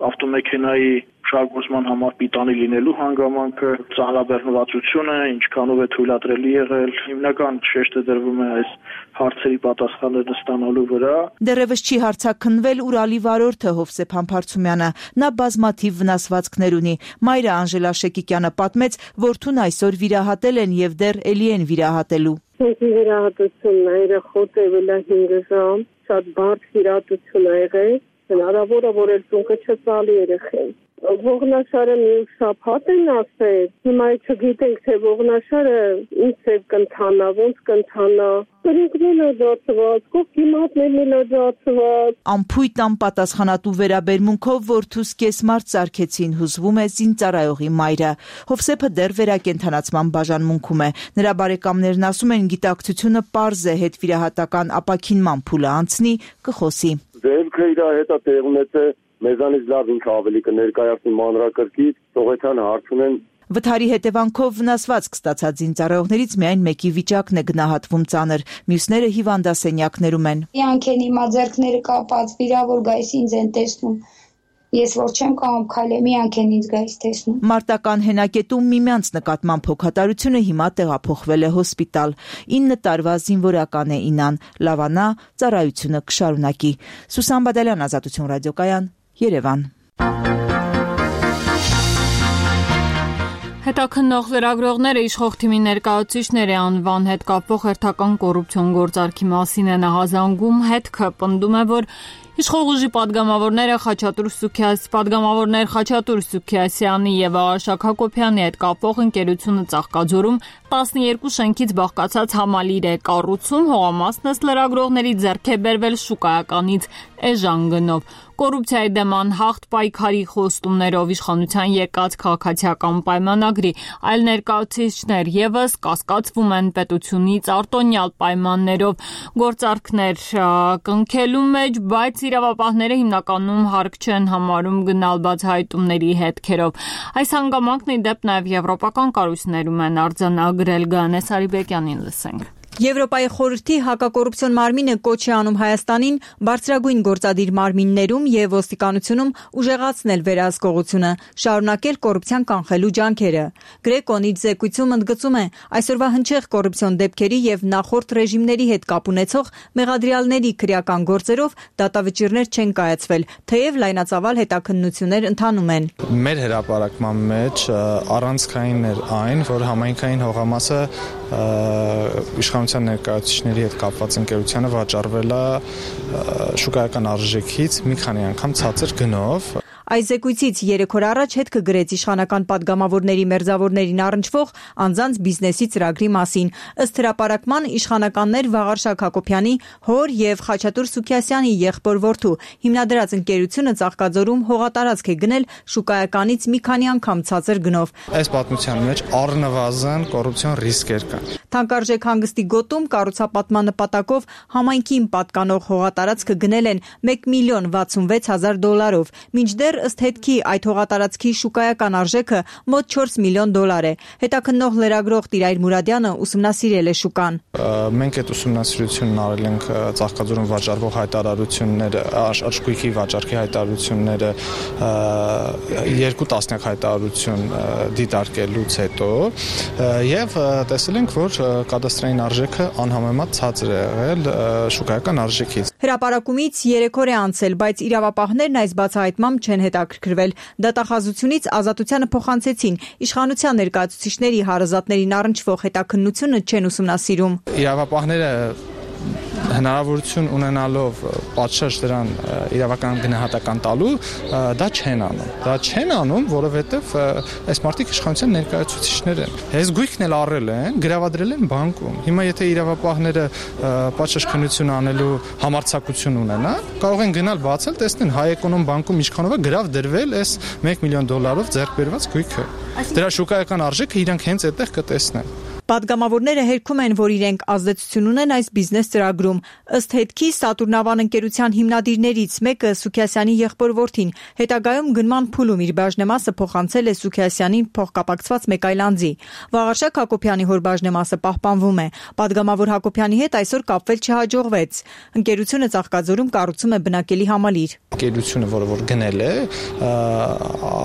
ավտոմեքենայի շարժման համար պիտանի լինելու հանգամանքը, ծանրաբեռնվածությունը, ինչքանով է թույլատրելի եղել, հիմնական շեշտը դրվում է այս հարցերի պատասխանները ստանալու վրա։ Դեռևս չի հարցաքննվել Ուրալի վարորդը Հովսեփ Համբարձումյանը, նա բազմաթիվ վնասվածքներ ունի։ Մայրը Անժելա Շեկիկյանը պատմեց, որդուն այսօր վիրահատել են եւ դեռ էլի են վիրահատելու։ Վիրահատությունն է խոտեվել է հինգ ժամ, շատ բարդ վիրահատություն ա եղել, հնարավոր է որ էլ ծունկը չծալի երեխեն։ Ողնաշարը մի շաբաթ են ասել, հիմա չգիտենք թե ողնաշարը ինչ ծև կընթանա, ոնց կընթանա։ Կրունկներն է ջացված, կողքիմատներն է ջացված։ Ամփույթ անպատասխանատու վերաբերմունքով որդուս կեսմարտ սարքեցին, հուզվում է զինծառայողի մայրը։ Հովսեփը դեռ վերակենդանացման բաժանմունքում է։ Նրա բարեկամներն ասում են, գիտակցությունը պարզ է, հետվիրահատական ապաքինման փուլը անցնի, կխոսի։ Դեպքը իր հետ է տեղ ունեցել մեզանից լավ ինքը ավելի կներկայացնի մանրակրկիտ, Սողոթյանը հարց ունեն։ Վթարի հետևանքով վնասվածք ստացած զինծառայողներից միայն մեկի վիճակն է գնահատվում ծանր, մյուսները հիվանդասենյակներում են։ Իրանք են հիմա ձեռքները կապած, վիրավոր գայս ինձ են տեսնում։ Ես որ չեմ կարող քայլեմ, իրանք են ինձ գայս տեսնում։ Մարտական հենակետում միմյանց նկատմամբ հոգատարությունը հիմա տեղափոխվել է հոսպիտալ։ ինը տարվա զինվորական է Ինան, լավանա, ծառայությունը կշարունակի։ Սուսան Բադալյան, Ազատություն ռադիոկայան, Երևան։ Հետաքննող լրագրողները իշխող թիմի ներկայացուցիչների անվան հետ կապվող հերթական կոռուպցիոն գործարքի մասին են ահազանգում, հետքը պնդում է, որ իշխող ուժի պատգամավորները Խաչատուր Սուքիաս, պատգամավորներ Խաչատուր Սուքիասյանի եւ Արաշակ Հակոբյանի հետ կապվող ընկերությունը Ծաղկաձորում տասներկու շենքից բաղկացած համալիր է կառուցում, հողամասն ըստ լրագրողների ձեռք է բերվել շուկայականից էժան գնով։ Կոռուպցիայի դեմ անհաղթ պայքարի խոստումներով իշխանության եկած քաղաքացիական պայմանագրի այլ ներկայացուցիչներ եւս կասկածվում են պետությունից արտոնյալ պայմաններով գործարքներ կնքելու մեջ, բայց իրավապահները հիմնականում հարկ չեն համարում գնալ բացահայտումների հետքերով։ Այս հանգամանքն ի դեպ նաև եվրոպական կառույցներում են արձանագրել Գանե Սարիբեկյանին լսենք։ Եվրոպայի խորհրդի հակակոռուպցիոն մարմինը կոչ է անում Հայաստանին բարձրագույն գործադիր մարմիններում եւ ոստիկանությունում ուժեղացնել վերահսկողությունը, շարունակել կոռուպցիան կանխելու ջանքերը։ Գրեկոն իր զեկույցում ընդգծում է այսօրվա հնչեղ կոռուպցիոն դեպքերի եւ նախորդ ռեժիմների հետ կապ ունեցող մեղադրյալների քրեական գործերով դատավճիռներ չեն կայացվել, թեև լայնածավալ հետաքննություններ ընթանում են։ Մեր հրապարակման մեջ առանցքային էր այն, որ համայնքային հողամասը իշխանության ներկայացուցիչների հետ կապված ընկերությանը վաճառվել է շուկայական արժեքից մի քանի անգամ ցածր գնով։ Այս զեկույցից երեք օր առաջ հետքը գրեց իշխանական падգամավորների մերձավորներին առնչվող անձանց բիզնեսի ծրագրի մասին։ Ըստ հրապարակման իշխանականներ Վաղարշակ Հակոբյանի հոր եւ Խաչատուր Սուքիասյանի եղբոր որդու հիմնադրած ընկերությունը Ծաղկաձորում հողատարածք է գնել շուկայականից մի քանի անգամ ցածր գնով։ Այս պատմության մեջ առնվազն կոռուպցիոն ռիսկեր կան։ Թանկարժեք հանգստի գոտում կառուցապատման նպատակով համայնքին պատկանող հողատարածքը գնել են մեկ միլիոն վաթսունվեց հազար դոլարով, մինչդեռ ըստ հետքի այդ հողատարածքի շուկայական արժեքը մոտ չորս միլիոն դոլար է։ Հետաքննող լրագրող Տիրայր Մուրադյանը ուսումնասիրել է շուկան։ Մենք այդ ուսումնասիրությունն արել ենք Ծաղկաձորում վաճառվող հայտարարությունները, աչքույքի վաճառքի հայտարարությունները երկու տասնյակ հայտարարություն դիտարկելուց հետո եւ տեսել ենք, որ կադաստրային արժեքը անհամեմատ ցածր է եղել շուկայական արժեքից։ Հրապարակումից երեք օր է անցել, բայց իրավապահներն այս բացահայտմամբ չեն հետաքրքրվել։ Դատախազությունից ազատությանը փոխանցեցին, իշխանության ներկայացուցիչների հարազատներին առնչվող հետաքննությունը չեն ուսումնասիրում։ Իրավապահները հնարավորություն ունենալով պատշաճ դրան իրավական գնահատական տալու դա չեն անում։ Դա չեն անում, որովհետև այս մարդիկ իշխանության ներկայացուցիչներ են։ Այս գույքն էլ առել են, գրավադրել են բանկում։ Հիմա եթե իրավապահները պատշաճ քննություն անելու համարձակություն ունենան, կարող են գնալ բացել, տեսնեն Հայ-Էկոնոմ բանկում ինչքանով է գրավ դրվել այս մեկ միլիոն դոլարով ձեռք բերված գույքը։ Դրա շուկայական արժեքը իրանք հենց այդտեղ կտեսնեն։ Պատգամավորները հերքում են, որ իրենք ազդեցություն ունեն այս բիզնես ծրագրում։ Ըստ հետքի Սատուրնավան ընկերության հիմնադիրներից մեկը Սուքիասյանի եղբոր որդին հետագայում գնման փուլում իր բաժնեմասը փոխանցել է Սուքիասյանին փոխկապակցված մեկ այլ անձի։ Վաղարշակ Հակոբյանի հոր բաժնեմասը պահպանվում է։ Պատգամավոր Հակոբյանի հետ այսօր կապվել չհաջողվեց։ Ընկերությունը Ծաղկաձորում կառուցում է բնակելի համալիր։ Ընկերությունը, որը որ գնել է,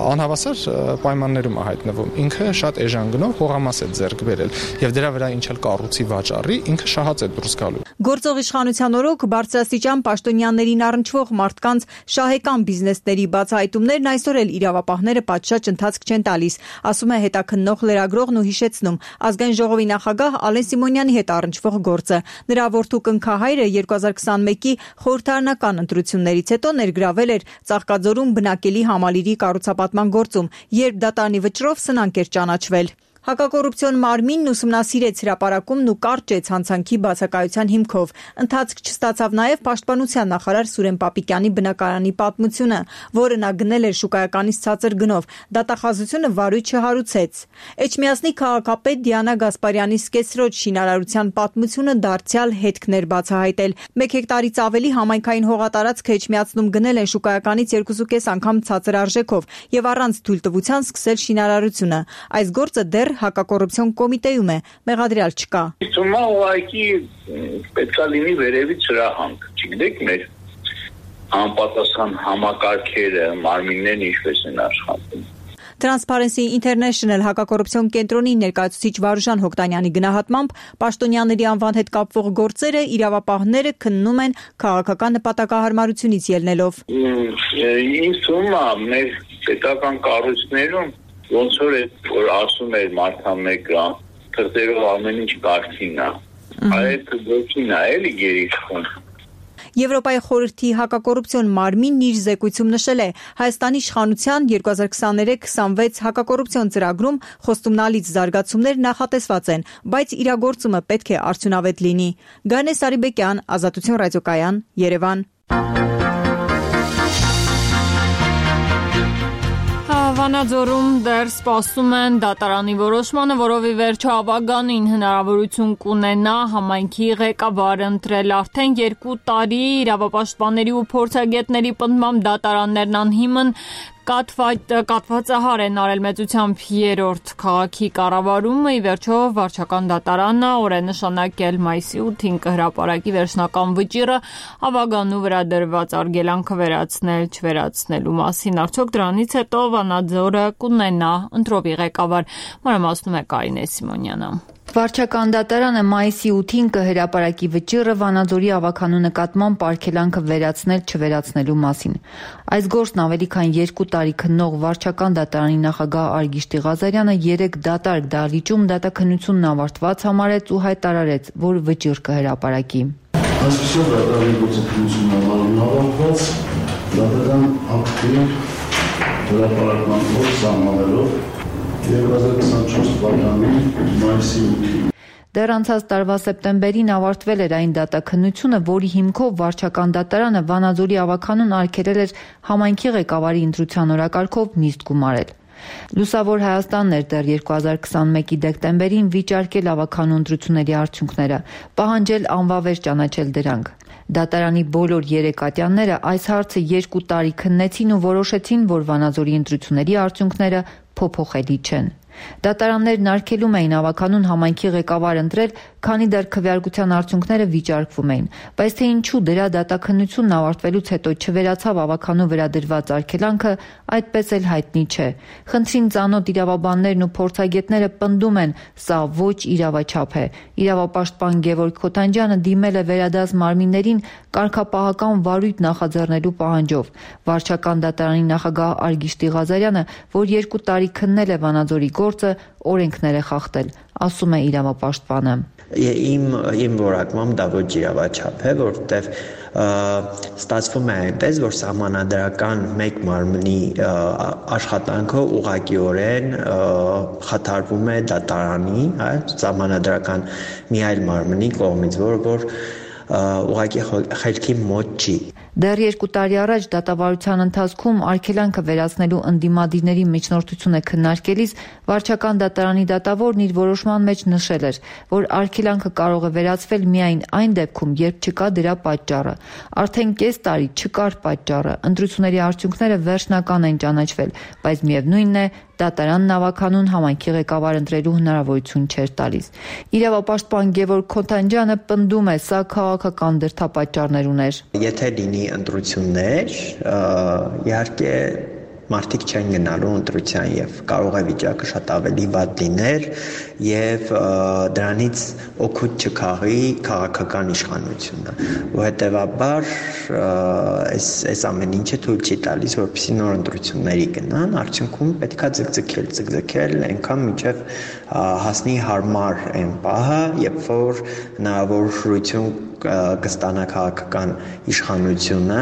անհավասար պայմաններում է հայտնվում։ Ինքը շատ էժան գնով հողամաս է ձեռք բերել եւ դրա վրա ինչ էլ կառույցի վաճառի, ինքը շահած է դուրս գալու։ Գործող իշխանության օրոք բարձրաստիճան պաշտոնյաներին առնչվող մարդկանց շահեկան բիզնեսների բացահայտումներն այսօր էլ իրավապահները պատշաճ ընթացք չեն տալիս, ասում է հետաքննող լրագրողն ու հիշեցնում ազգային ժողովի նախագահ Ալեն Սիմոնյանի հետ առնչվող գործը։ Նրա որդու կնքահայրը երկու հազար քսանմեկի խորհրդարանական ընտրություններից հետո ներգրավել էր Ծաղկաձորում բնակելի համալիրի կառուցապատման գործում, երբ դատարանի վճռով սնանկ էր ճանաչվել։ Հակակոռուպցիոն մարմինն ուսումնասիրեց հրապարակումն ու կարճեց հանցանքի բացակայության հիմքով։ Ընթացք չստացավ նաև պաշտպանության նախարար Սուրեն Պապիկյանի բնակարանի պատմությունը, որը նա գնել էր շուկայականից ցածր գնով։ Դատախազությունը վարույթ չհարուցեց։ Էջմիածնի քաղաքապետ Դիանա Գասպարյանի սկեսրոջ շինարարության պատմությունը դարձյալ հետքներ բացահայտել։ Մեկ հեկտարից ավելի համայնքային հողատարածքը Էջմիածնում գնել են շուկայականից երկուսուկես անգամ ցածր արժեքով եւ առանց թույլտվության սկսել շինարարությունը։ Այս գործը դեռ հակակոռուպցիոն կոմիտեում է, մեղադրյալ չկա։ Հիմա ուղղակի պետքա լինի վերևից հրահանգ, չգիտեք մեր անպատասխան համակարգերը, մարմիններն ինչպես են աշխատում։ Transparency International հակակոռուպցիոն կենտրոնի ներկայացուցիչ Վարուժան Հոկտանյանի գնահատմամբ պաշտոնյաների անվան հետ կապվող գործերը իրավապահները քննում են քաղաքական նպատակահարմարությունից ելնելով։ Ինձ թվում է մեր պետական կառույցներում ոնց որ որ ասում էր մարդամեկը թղթերով ամեն ինչ կարգին է, այդ ոչինչ է էլի գերիշխում։ Եվրոպայի խորհրդի հակակոռուպցիոն մարմինն իր զեկույցում նշել է Հայաստանի իշխանության երկու հազար քսաներեք քսանվեց հակակոռուպցիոն ծրագրում խոստումնալից զարգացումներ նախատեսված են, բայց իրագործումը պետք է արդյունավետ լինի։ Գանե Սարիբեկյան, Ազատություն ռադիոկայան, Երևան։ Վանաձորում դեռ սպասում են դատարանի որոշմանը, որով ի վերջո ավագանին հնարավորություն կունենա համայնքի ղեկավար ընտրել։ Արդեն երկու տարի իրավապաշտպանների ու փորձագետների պնդմամբ դատարաններն անհիմն կատվածահար են արել մեծությամբ երրորդ քաղաքի կառավարումը։ Ի վերջո վարչական դատարանը օր է նշանակել մայիսի ութին կհրապարակի վերջնական վճիռը ավագանու վրա դրված արգելանքը վերացնել չվերացնելու մասին։ Արդյոք դրանից հետո Վանաձորը կունենա ընտրովի ղեկավար։ Մանրամասնում է Կարինե Սիմոնյանը։ Վարչական դատարանը մայիսի ութին կհրապարակի վճիռը Վանաձորի ավագանու նկատմամբ արգելանքը վերացնել չվերացնելու մասին։ Այս գործն ավելի քան երկու տարի քննող վարչական դատարանի նախագահ Արգիշտի Ղազարյանը երեք դատարկ դահլիճում դատաքննությունն ավարտված համարեց ու հայտարարեց, որ վճիռ կհրապարակի։ Այսպիսով դատարանի գործընթացությունն ավարտված դատական ակտի հրապարակման օր սահմանելով երկու հազար քսանչորս թվականի մայիսի ութին։ Դեռ անցած տարվա սեպտեմբերին ավարտվել էր այն դատաքննությունը, որի հիմքով վարչական դատարանը Վանաձորի ավագանուն արգելել էր համայնքի ղեկավարի ընտրության օրակարգով նիստ գումարել։ Լուսավոր Հայաստանն էր դեռ երկու հազար քսանմեկի դեկտեմբերին վիճարկել ավագանու ընտրությունների արդյունքները, պահանջել անվավեր ճանաչել դրանք։ Դատարանի բոլոր երեք ատյանները այս հարցը երկու տարի քննեցին ու որոշեցին, որ Վանաձորի ընտրությունների արդյունքները փոփոխելի չեն։ Դատարաններն արգելում էին ավագանուն համայնքի ղեկավար ընտրել, քանի դեռ քվեարկության արդյունքները վիճարկվում էին, բայց թե ինչու դրա դատաքննությունն ավարտվելուց հետո չվերացավ ավագանու վրա դրված արգելանքը, այդպես էլ հայտնի չէ։ Խնդրին ծանոթ իրավաբաններն ու փորձագետները պնդում են, սա ոչ իրավաչափ է։ Իրավապաշտպան Գևորգ Քոթանջյանը դիմել է վերադաս մարմիններին կարգապահական վարույթ նախաձեռնելու պահանջով։ Վարչական դատարանի նախագահ Արգիշտի Ղազարյանը, որ երկու տարի քննել է Վանաձորի գործը, օրենքներ է խախտել, ասում է իրավապաշտպանը։ Իմ իմ որակմամբ դա ոչ իրավաչափ է, որովհետև ստացվում է այնպես, որ սահմանադրական մեկ մարմնի աշխատանքը ուղղակիորեն խաթարվում է դատարանի, սահմանադրական մի այլ մարմնի կողմից, որը որ ուղղակի խելքի մոտ չի։ Դեռ երկու տարի առաջ դատավարության ընթացքում արգելանքը վերացնելու ընդդիմադիրների միջնորդությունը քննարկելիս վարչական դատարանի դատավորն իր որոշման մեջ նշել էր, որ արգելանքը կարող է վերացվել միայն այն դեպքում, երբ չկա դրա պատճառը։ Արդեն կես տարի չկար պատճառը, ընտրությունների արդյունքները վերջնական են ճանաչվել, բայց միևնույնն է, դատարանն ավագանուն համայնքի ղեկավար ընտրելու հնարավորություն չէր տալիս։ Իրավապաշտպան Գևորգ Քոթանջյանը պնդում է, սա քաղաքական դրդապատճառներ ուներ։ Եթե լինի ընտրություններ, իհարկե մարդիկ չեն գնալու ընտրության եւ կարող է վիճակը շատ ավելի վատ լիներ եւ դրանից օգուտ չքաղի քաղաքական իշխանությունը, ու հետեւաբար այս այս ամեն ինչը թույլ չի տալիս, որպեսզի նոր ընտրությունների գնան, արդյունքում պետքա ձգձգել, ձգձգել այնքան մինչեւ հասնի հարմար այն պահը, երբ որ հնարավորություն կստանա քաղաքական իշխանությունը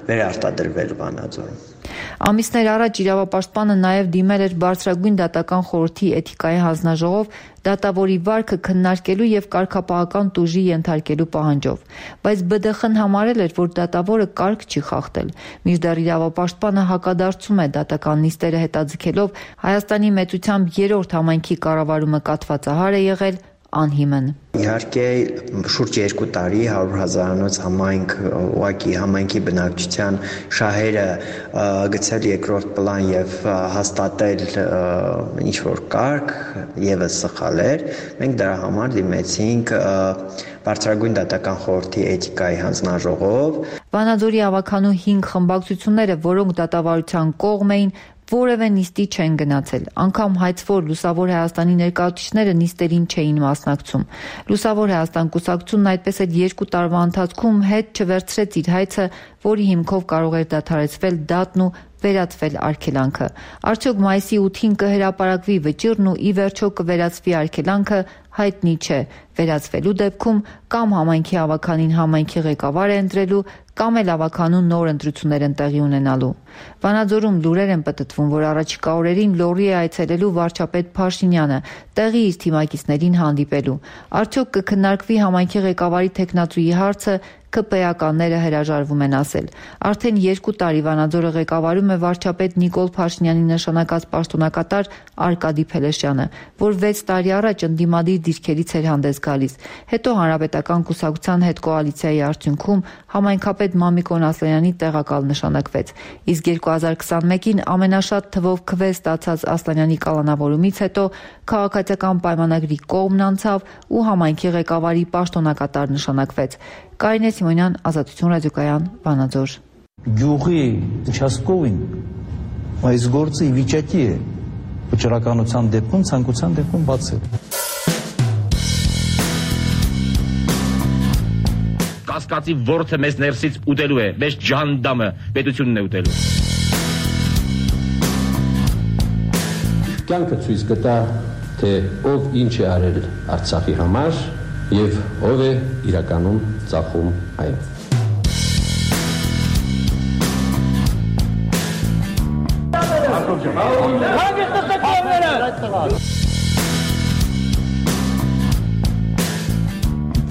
վերարտադրվել Վանաձորում։ Ամիսներ առաջ իրավապաշտպանը նաև դիմել էր Բարձրագույն դատական խորհրդի էթիկայի հանձնաժողով դատավորի վարքը քննարկելու եւ կարգապահական տուժի ենթարկելու պահանջով, բայց B D X-ն համարել էր, որ դատավորը կարգ չի խախտել։ Մինչդեռ իրավապաշտպանը հակադարձում է դատական նիստերը հետաձգելով Հայաստանի մեծությամբ երրորդ համայնքի կառավարումը կաթվածահար է եղել, անհիմն։ Իհարկե շուրջ երկու տարի հարյուր հազարանոց համայնք ուղղակի համայնքի բնակչության շահերը գցել երկրորդ պլան եւ հաստատել ինչ որ կարգ եւս սխալ էր։ Մենք դրա համար դիմեցինք Բարձրագույն դատական խորհրդի էթիկայի հանձնաժողով։ Վանաձորի ավագանու հինգ խմբակցությունները, որոնք դատավարության կողմ էին, որևէ նիստի չեն գնացել, անգամ հայցվոր Լուսավոր Հայաստանի ներկայացուցիչները նիստերին չէին մասնակցում։ Լուսավոր Հայաստան կուսակցությունն այդպես էլ երկու տարվա ընթացքում հետ չվերցրեց իր հայցը, որի հիմքով կարող էր դադարեցվել դատն ու վերացվել արգելանքը։ Արդյոք մայիսի ութին կհրապարակվի վճիռն ու ի վերջո կվերացվի արգելանքը, հայտնի չէ։ Վերացվելու դեպքում կամ համայնքի ավագանին համայնքի ղեկավար է ընտրելու, կամ էլ ավագանու նոր ընտրություններ են տեղի ունենալու։ Վանաձորում լուրեր են պտտվում, որ առաջիկա օրերին լոռի է այցելելու վարչապետ Փաշինյանը, տեղի իր թիմակիցներին հանդիպելու։ Արդյոք կքննարկվի համայնքի ղեկավարի թեկնածուի հարցը, ԿՊ-ականները հրաժարվում են ասել։ Արդեն երկու տարի Վանաձորը ղեկավարում է վարչապետ Նիկոլ Փաշինյանի նշանակած պաշտոնակատար Արկադի Փելեշյանը, որ վեց տարի առաջ ընդդիմադիր դիրքերից էր հանդես գալիս։ Հետո Հանրապետական կուսակցության հետ կոալիցիայի արդյունքում համայնքապետ Մամիկոն Ասլանյանի տեղակալ նշանակվեց։ Իսկ երկու հազար քսանմեկին ամենաշատ թվով քվե ստացած Ասլանյանի կալանավորումից հետո քաղաքացիական պայմանագրի կողմն անցավ ու համայնքի ղեկավարի պաշտոնակատար նշանակվեց։ Կարինե Սիմոնյան, Ազատություն ռադիոկայան, Վանաձոր։ Գյուղի участковին այս գործը ի վիճակի է վճռականության դեպքում, ցանկության դեպքում բացել։ Կասկածի ворթը մեզ ներսից ուտելու է, մեզ ջանդամը պետությունն է ուտելու։ Կյանքը ցույց կտա, թե ով ինչ է արել Արցախի համար եւ ով է իրականում ծախում այն։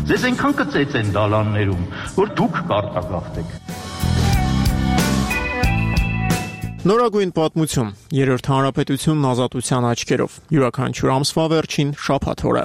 Ձեզ այնքան կծեց են դալաններում, որ դուք կարտագաղթեք։ Նորագույն պատմություն, երրորդ հանրապետությունն ազատության աչքերով, յուրաքանչյուր ամսվա վերջին շաբաթ օրը։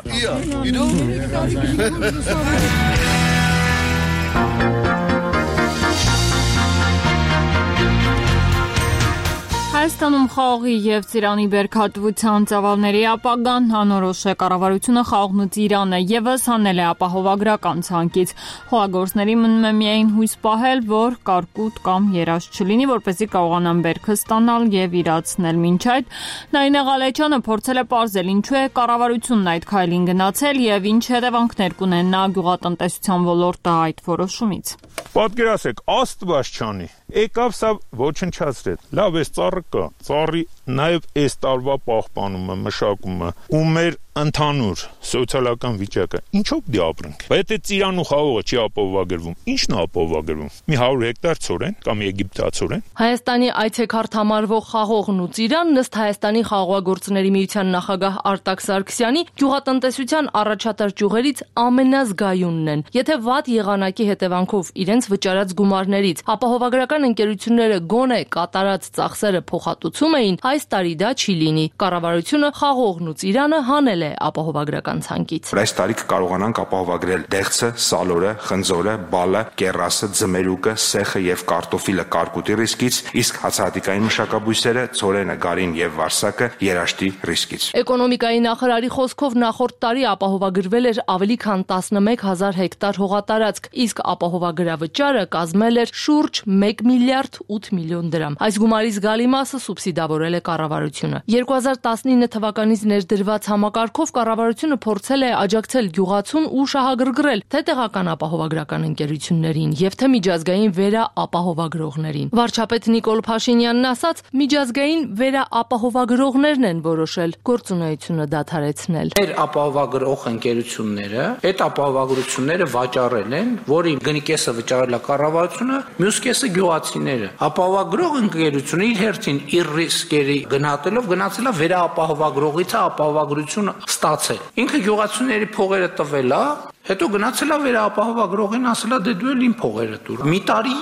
Հայաստանում խաղողի և ծիրանի բերքատվության ծավալների ապագան անորոշ է, կառավարությունը խաղողն ու ծիրանը ևս հանել է ապահովագրական ցանկից։ Խոհագործների մնում է միայն հույս պահել, որ կարկուտ կամ երազ չլինի, որպեսզի կարողանան բերքը ստանալ և իրացնել։ Մինչ այդ Նարինե Ղալեչյանը փորձել է պարզել ինչու է կառավարությունն այդ քայլին գնացել և ինչ հետևանքներ կունենա գյուղատնտեսության ոլորտը այդ որոշումից։ Պատկերացրեք, Աստված չանի, եկավ սա ոչնչացրեց, լավ էս ծառը կա, ծառի նաև այս տարվա պահպանումը, մշակումը ու մեր ընդհանուր սոցիալական վիճակը ինչով դի ապրենք։ Բայց եթե ծիրան ու խաղողը չի ապահովագրվում, ի՞նչն է ապահովագրվում։ Մի հարյուր հեկտար ցորեն կամ եգիպտացորեն։ Հայաստանի այցեքարտ համարվող խաղողն ու ծիրան ըստ Հայաստանի խաղողագործների միության նախագահ Արտակ Սարգսյանի գյուղատնտեսության առաջատար ճյուղերից ամենազգայունն են։ Եթե վատ եղանակի հետևանքով իրենց վճարած գումարներից ապահովագրական ընկերությունները գոնե կատարած ծախսերը փոխհատուցում էին, այս տարի դա չի լինի։ Կառավարությունը խաղողն ու ծիրանը հանել է ապահովագրական ցանկից։ Այս տարի կկարողանանք ապահովագրել դեղցը, սալորը, խնձորը, բալը, կեռասը, ձմերուկը, սեխը եւ կարտոֆիլը կարկուտի ռիսկից, իսկ հացահատիկային մշակաբույսերը, ցորենը, գարին եւ վարսակը երաշտի ռիսկից։ Էկոնոմիկայի նախարարի խոսքով նախորդ տարի ապահովագրվել էր ավելի քան տասնմեկ հազար հեկտար հողատարածք, իսկ ապահովագրավճարը կազմել էր շուրջ մեկ միլիարդ ութ միլիոն դրամ։ Այս գումարի զգալի մասը սուբսիդավորել է կառավարությունը։ երկու հազար տասնինը թվականից ներդրված համակարգով կառավարությունը փորձել է աջակցել գյուղացուն ու շահագրգռել թե տեղական ապահովագրական ընկերություններին եւ թե միջազգային վերաապահովագրողներին։ Վարչապետ Նիկոլ Փաշինյանն ասաց, միջազգային վերաապահովագրողներն են որոշել գործունեությունը դադարեցնել։ Մեր ապահովագրող ընկերությունները այդ ապահովագրությունները վաճառել են, որի գնի կեսը վճարել է կառավարությունը, մյուս կեսը գյուղացիները։ Ապահովագրող ընկերությունը իր հերթին իր ռիսկերի գնահատելով գնացել է վերաապահովագրողից ապահովագրություն ստացել։ Ինքը գյուղացիների փողերը տվել է, հետո գնացել է վերաապահովագրողին, ասել է դե դու էլ իմ փողերը տուր։ Մի տարի,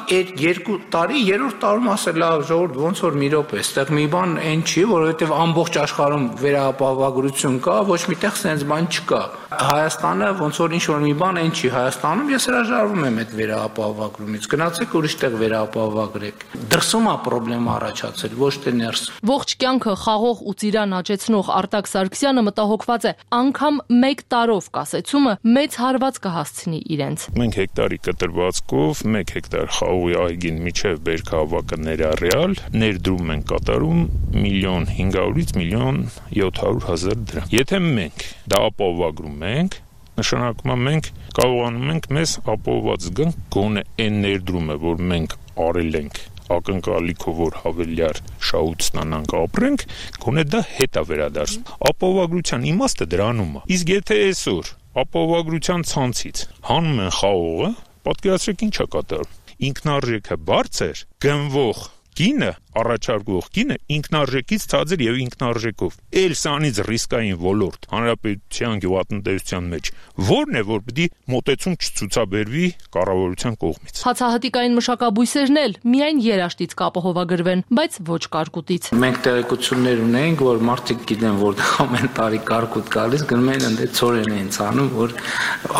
երկու տարի, երրորդ տարում ասել է ժողովուրդ ոնց որ մի րոպե, այստեղ մի բան այն չի, որովհետև ամբողջ աշխարհում վերաապահովագրություն կա, ոչ միտեղ sense բան չկա։ Հայաստանը ոնց որ ինչ որ մի բան այն չի Հայաստանում, ես հրաժարվում եմ այդ վերաապահովագրումից։ Գնացեք ուրիշտեղ վերաապահովագրեք։ Դրսում է խնդրեմ առաջացել, ոչ թե ներսում։ Ողջ կյանքը խաղող ու ծիրան աճեցնող Արտակ Սարգսյանը մտահոգված է, անգամ մեկ տարով կասեցումը մեծ հարված կհասցնի իրենց։ Մենք հեկտարի կտրվածքով մեկ հեկտար խաղողի այգին միջև բերքահավաքը ներառյալ ներդրում ենք կատարում միլիոն հինգ հարյուրից միլիոն յոթ հարյուր հազար դրամ։ Եթե մենք դա ապահովագրում ենք, նշանակում է մենք կարողանում ենք մեզ ապահովված զգանք գոնե այն ներդրումը, որ մենք արել ենք ակնկալիքով որ հավելյալ շահույթ ստանանք ապրենք, գոնե դա հետ է վերադարձում։ Ապահովագրության իմաստը դրանում է։ Իսկ եթե այսօր ապահովագրության ցանցից հանում են խաղողը, պատկերացրեք ինչ է կատարում։ Ինքնարժեքը բարձր, գնվող գինը առաջարկող կինը ինքնարժեքից ցածր եւ ինքնարժեքով։ Էլ սանից ռիսկային ոլորտ հանրապետության գյուղատնտեսության մեջ որն է, որ պիտի մոտեցում չցուցաբերվի կառավարության կողմից։ Հացահատիկային մշակաբույսերն էլ միայն երաշտից կապահովագրվեն, բայց ոչ կարկուտից։ Մենք տեղեկություններ ունենք, որ մարդիկ գիտեն, որ ամեն տարի կարկուտ գալիս, գնում են ընդ ծորեն են ցանում, որ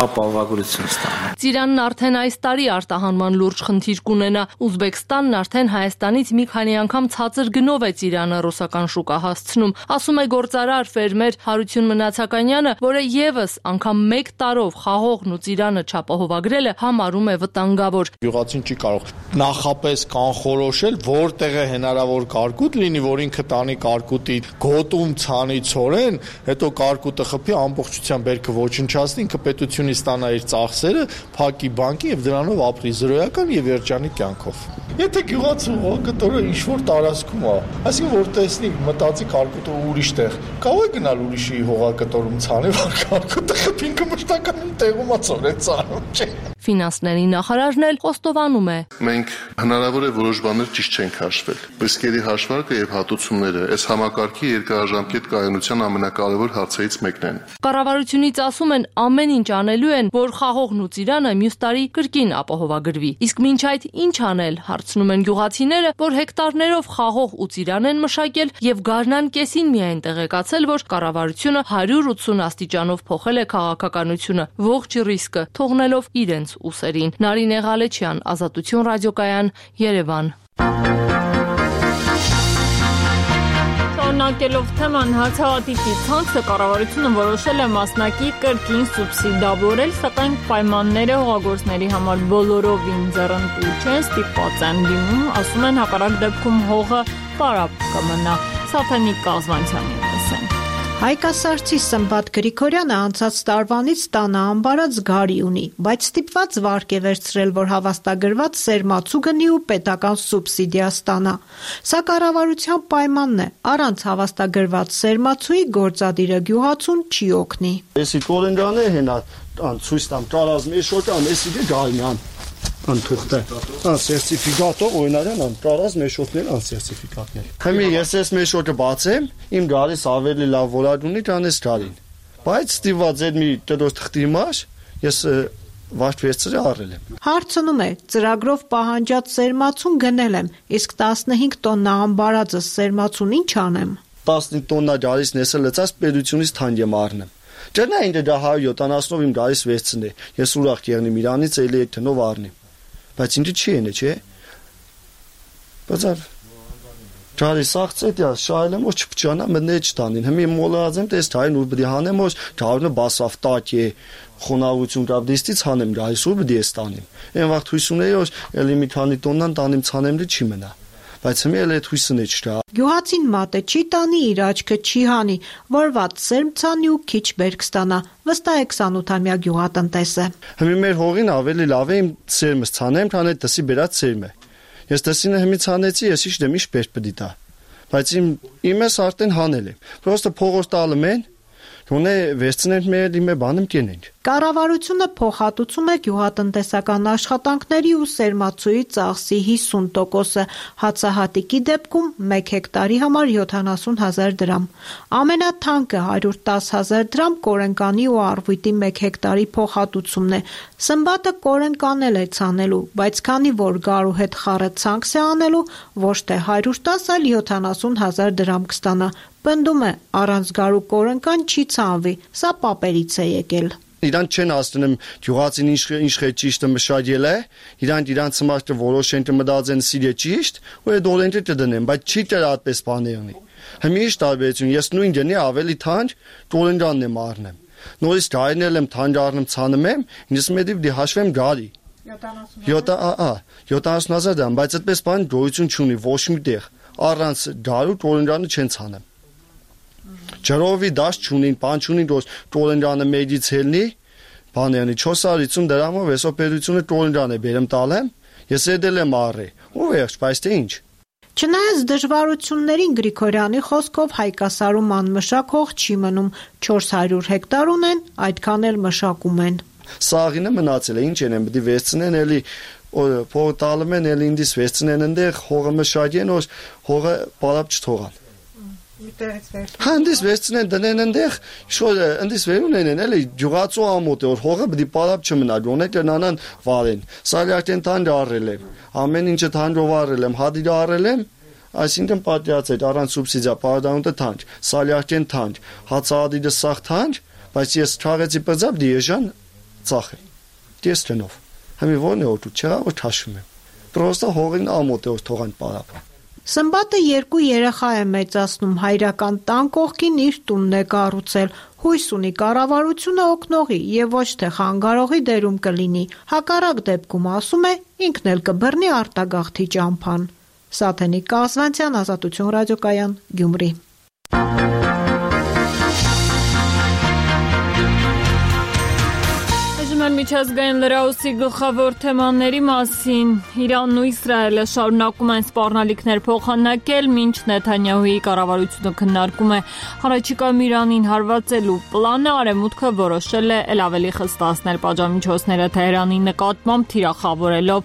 ապահովագրություն ստանան։ Ծիրանն արդեն այս տարի արտահանման լուրջ խնդիր կունենա։ Ուզբեկստանն արդեն Հայաստանից մի քանի անգամ ցածր գնով է ծիրանը ռուսական շուկա հասցնում, ասում է գործարար ֆերմեր Հարություն Մնացականյանը, որը եւս անգամ մեկ տարով խաղողն ու ծիրանը չապահովագրելը համարում է վտանգավոր։ Գյուղացին չի կարող նախապես կանխորոշել, որտեղ է հնարավոր կարկուտ լինի, որ ինքը տանի կարկուտի գոտում ցանի ցորեն, հետո կարկուտը խփի ամբողջությամբ բերքը ոչնչացնի, ինքը պետությունից ստանա իր ծախսերը, փակի բանկի եւ դրանով ապրի զրոյական եւ երջանի կյանքով։ Եթե գյուղացու հողակտորը ինչ-որ տարածքում է, այսինքն որ տեսնի մտածի կարկուտը ուրիշ տեղ, կարող է գնալ ուրիշի հողակտորում ցանի, որ կարկուտը խփի, ինքը մշտական տեղում է ցորեն ցանում, չէ։ Ֆինանսների նախարարն էլ խոստովանում է։ Մենք հնարավոր է որոշ բաներ ճիշտ չենք հաշվել։ Ռիսկերի հաշվարկը եւ հատուցումները այս համակարգի երկարաժամկետ կայունության ամենակարևոր հարցերից մեկն են։ Կառավարությունից ասում են ամեն ինչ անելու են, որ խաղողն ու ծիրանը մյուս տարի կրկին ապահովագրվի։ Իսկ մինչ այդ ինչ անել, հարցնում են գյուղացիները, որ հեկտարներով խաղող ու ծիրան են մշակել եւ գարնան կեսին միայն տեղեկացել, որ կառավարությունը հարյուր ութսուն աստիճանով փոխել է քաղաքականությունը, ողջ ռիսկը թողնելով իրենց ուսերին։ Նարինե Ղալեչյան, Ազատություն ռադիոկայան, Երևան։ Շարունակելով թեման, հացահատիկի ցանցը կառավարությունը որոշել է մասնակի կրկին սուբսիդավորել, սակայն պայմանները հողագործների համար բոլորովին ձեռնտու չեն, ստիպված են լինում, ասում են հակառակ դեպքում հողը պարապ կմնա։ Սաթենիկ Կազվանցյանին լսենք։ Հայկասարցի Սմբատ Գրիգորյանը անցած տարվանից տանը ամբարած գարի ունի, բայց ստիպված վարկ է վերցրել, որ հավաստագրված սերմացու գնի ու պետական սուբսիդիա ստանա։ Սա կառավարության պայմանն է, առանց հավաստագրված սերմացուի գործադիրը գյուղացուն չի օգնի։ Էսի կորենջանը հենա ցույց տամ տարած մի շոկան, էսի գայնան անթուղթը, ան սերտիֆիկատը օրինարան ան տարած մեշոտներ ան սերտիֆիկատներ։ Հիմա ես ես մեշոտը բացեմ, իմ գարիս ավելի լավ որակ ունի տանես գարին։ Բայց ստիված այդ մի տերոս թղթի մաշ, ես վարդ վերցրի առել եմ։ Հարցնում է, ծրագրով պահանջած սերմացուն գնել եմ, իսկ տասնհինգ տոննա ամբարածը սերմացուն ինչ անեմ։ տասնհինգ տոննա գարիս նեսը լծած պետությունից թանկ եմ առնեմ։ Ջնա ինձ դա հարյուր յոթանասունով իմ գարիս վերցնի։ Ես ուրախ կերնի Իրանից էլի այդ տնով առնեմ։ Բայց ինձ չի ենե, չէ։ Բայց Ճարի սաղցետ ես շայլեմ ոչ չփճանա մնե չտանին։ Հիմի մոլազեմ տես թայն ու բդի հանեմ ոչ դառնը բասավ տակի խոնավություն կապդիստից հանեմ գայս ու բդի ստանիմ։ Այն վաղ հույս ունեի որ էլի մի քանի տոննան տանիմ ցանեմլի չի մնա։ Բայց հիմա էլ այդ հույսն է չտա։ Գյուղացին մատը չի տանի, իր աչքը չի հանի, որված սերմ ցանի ու քիչ բերք ստանա։ Վստահ է քսանութամյա գյուղատնտեսը։ Հիմա մեր հողին ավելի լավ է իմ սերմը ցանեմ, քան այդ դասի բերած սերմը։ Ես դասինը հիմա ցանեցի, ես ինչ դեմ ինչ բերք պիտի տա։ Բայց իմ իմս արդեն հանել եմ։ Պրոստը փողոց տալում են, Գոնե վերցնենք մեր իմը բանում կենենք։ Կառավարությունը փոխհատուցում է գյուղատնտեսական աշխատանքների ու սերմացուի ծախսի հիսուն տոկոսը, հացահատիկի դեպքում մեկ հեկտարի համար յոթանասուն հազար դրամ։ Ամենաթանկը հարյուր տասը հազար դրամ կորենկանի ու առվույտի մեկ հեկտարի փոխհատուցումն է։ Սմբատը կորենկանել է ցանելու, բայց քանի որ գարու հետ խառը ցանքս է անելու, ոչ թե հարյուր տասը, այլ յոթանասուն հազար դրամ կստանա։ Պնդում է, առանց գարու կորենկան չի ցանվի, սա պապերից է եկել։ Իրան չեն ասնում գյուղացին ինչ ինչ է ճիշտը մշակել է, իրան իրան ծմաշտը որոշեն մտածեն սիրե ճիշտ, ու այդ օրենքը դդնեն, բայց չի դեռ այդպես բաներնի։ Հիմա ինչ տարբերություն, ես նույն դենի ավելի թանկ կորենկանն եմ առնեմ։ Նորից գարինել եմ թանկ առնում ցանում եմ, ինձ մետի դի հաշվեմ գարի։ յոթանասուն հազար դրամ, բայց այդպես բան գոյություն չունի ոչ մի տեղ։ Առանց գարու կորենկանը չեն ցանում։ Ջրովի դաշ չունին, բան չունին, որ կորենկանը մեջից հելնի, բաներնի չորս հարյուր ութսուն դրամով էսոպերությունը կորենկան է բերեմ տալեմ, ես էդել եմ առի, ու վերջ, բայց թե ինչ։ Չնայած դժվարություններին Գրիգորյանի խոսքով հայկասարում անմշակ հող չի մնում, չորս հարյուր հեկտար ունեն, այդքան էլ մշակում են։ Սաղինը մնացել է, ինչ են, պետք է վերցնեն էլի փող տալում են, էլ ինձ վեցնեն այնտեղ, հողը մշակեն, որ հողը բարապ չթողան։ Հանդիս վեցնեն դնեն այնտեղ, շոր այնտես վերուն են, էլի ջուղացու ամոթ է, որ հողը պիտի բարապ չմնա, դոնեք նրանան վարեն։ Սալյակեն թանջ առել եմ, ամեն ինչը թանջով առել եմ, հադիդը առել եմ, այսինքն պատյաց է առանց սուբսիդիա պարադանուտը թանջ, սալյակեն թանջ, հացահադիդը սաղ թանջ, բայց ես չաղեցի պրձապ դիեժան ծախել, դես տնով, համի որն է օտու, չեղա որ թաշում եմ, պրոստա հողին ամոթ է, որ թողան բարապ։ Սմբատը երկու երեխա է մեծացնում, հայրական տան կողքին իր տունն է կառուցել, հույս ունի կառավարությունը օգնողի եւ ոչ թե խանգարողի դերում կլինի, հակառակ դեպքում ասում է ինքն էլ կբռնի արտագաղթի ճամփան։ Սաթենիկ Կազվանցյան, Ազատություն ռադիոկայան, Գյումրի։ Միջազգային լրահոսի գլխավոր թեմաների մասին Իրանն ու Իսրայելը շարունակում են սպառնալիքներ փոխանակել, մինչ Նեթանյահուի կառավարությունը քննարկում է առաջիկայում Իրանին հարվածելու պլանը, արևմուտքը որոշել է ել ավելի խստացնել պատժամիջոցները Թեհրանի նկատմամբ, թիրախավորելով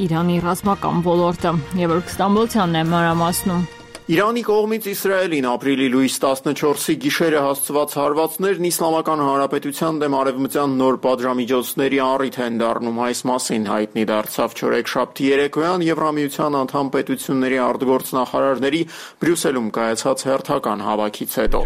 Իրանի ռազմական ոլորտը։ Եվրոք Ստամբոլցյանն է մանրամասնում։ Իրանի կողմից Իսրայելին ապրիլի լույս տասնչորսի գիշերը հասցված հարվածներն Իսլամական Հանրապետության դեմ արևմտյան նոր պատժամիջոցների առիթ են դառնում, այս մասին հայտնի դարձավ չորեքշաբթի երեկոյան Եվրամիության անդամ պետությունների արտգործնախարարների Բրյուսելում կայացած հերթական հավաքից հետո։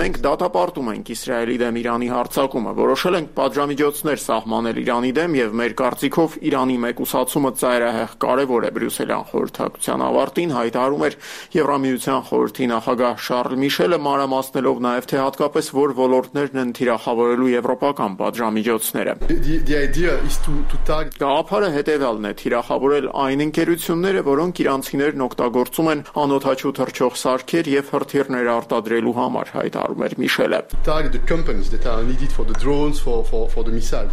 Մենք դատապարտում ենք Իսրայելի դեմ Իրանի հարձակումը, որոշել ենք պատժամիջոցներ սահմանել Իրանի դեմ եւ մեր կարծիքով Իրանի մեկուսացումը ծայրահեղ կարեւոր է։ Բրյուսելյան խորհրդակցության ավարտին հայտարարում էր Եվրամիության խորհրդի նախագահ Շարլ Միշելը, մանրամասնելով նաև թե հատկապես որ ոլորտներն են թիրախավորելու եվրոպական պատժամիջոցները։ Գաղափարը հետևյալն է՝ թիրախավորել այն ընկերությունները, որոնք իրանցիներն օգտագործում են անօդաչու թռչող սարքեր եւ հրթիռներ արտադրելու համար, հայտարարում էր Միշելը։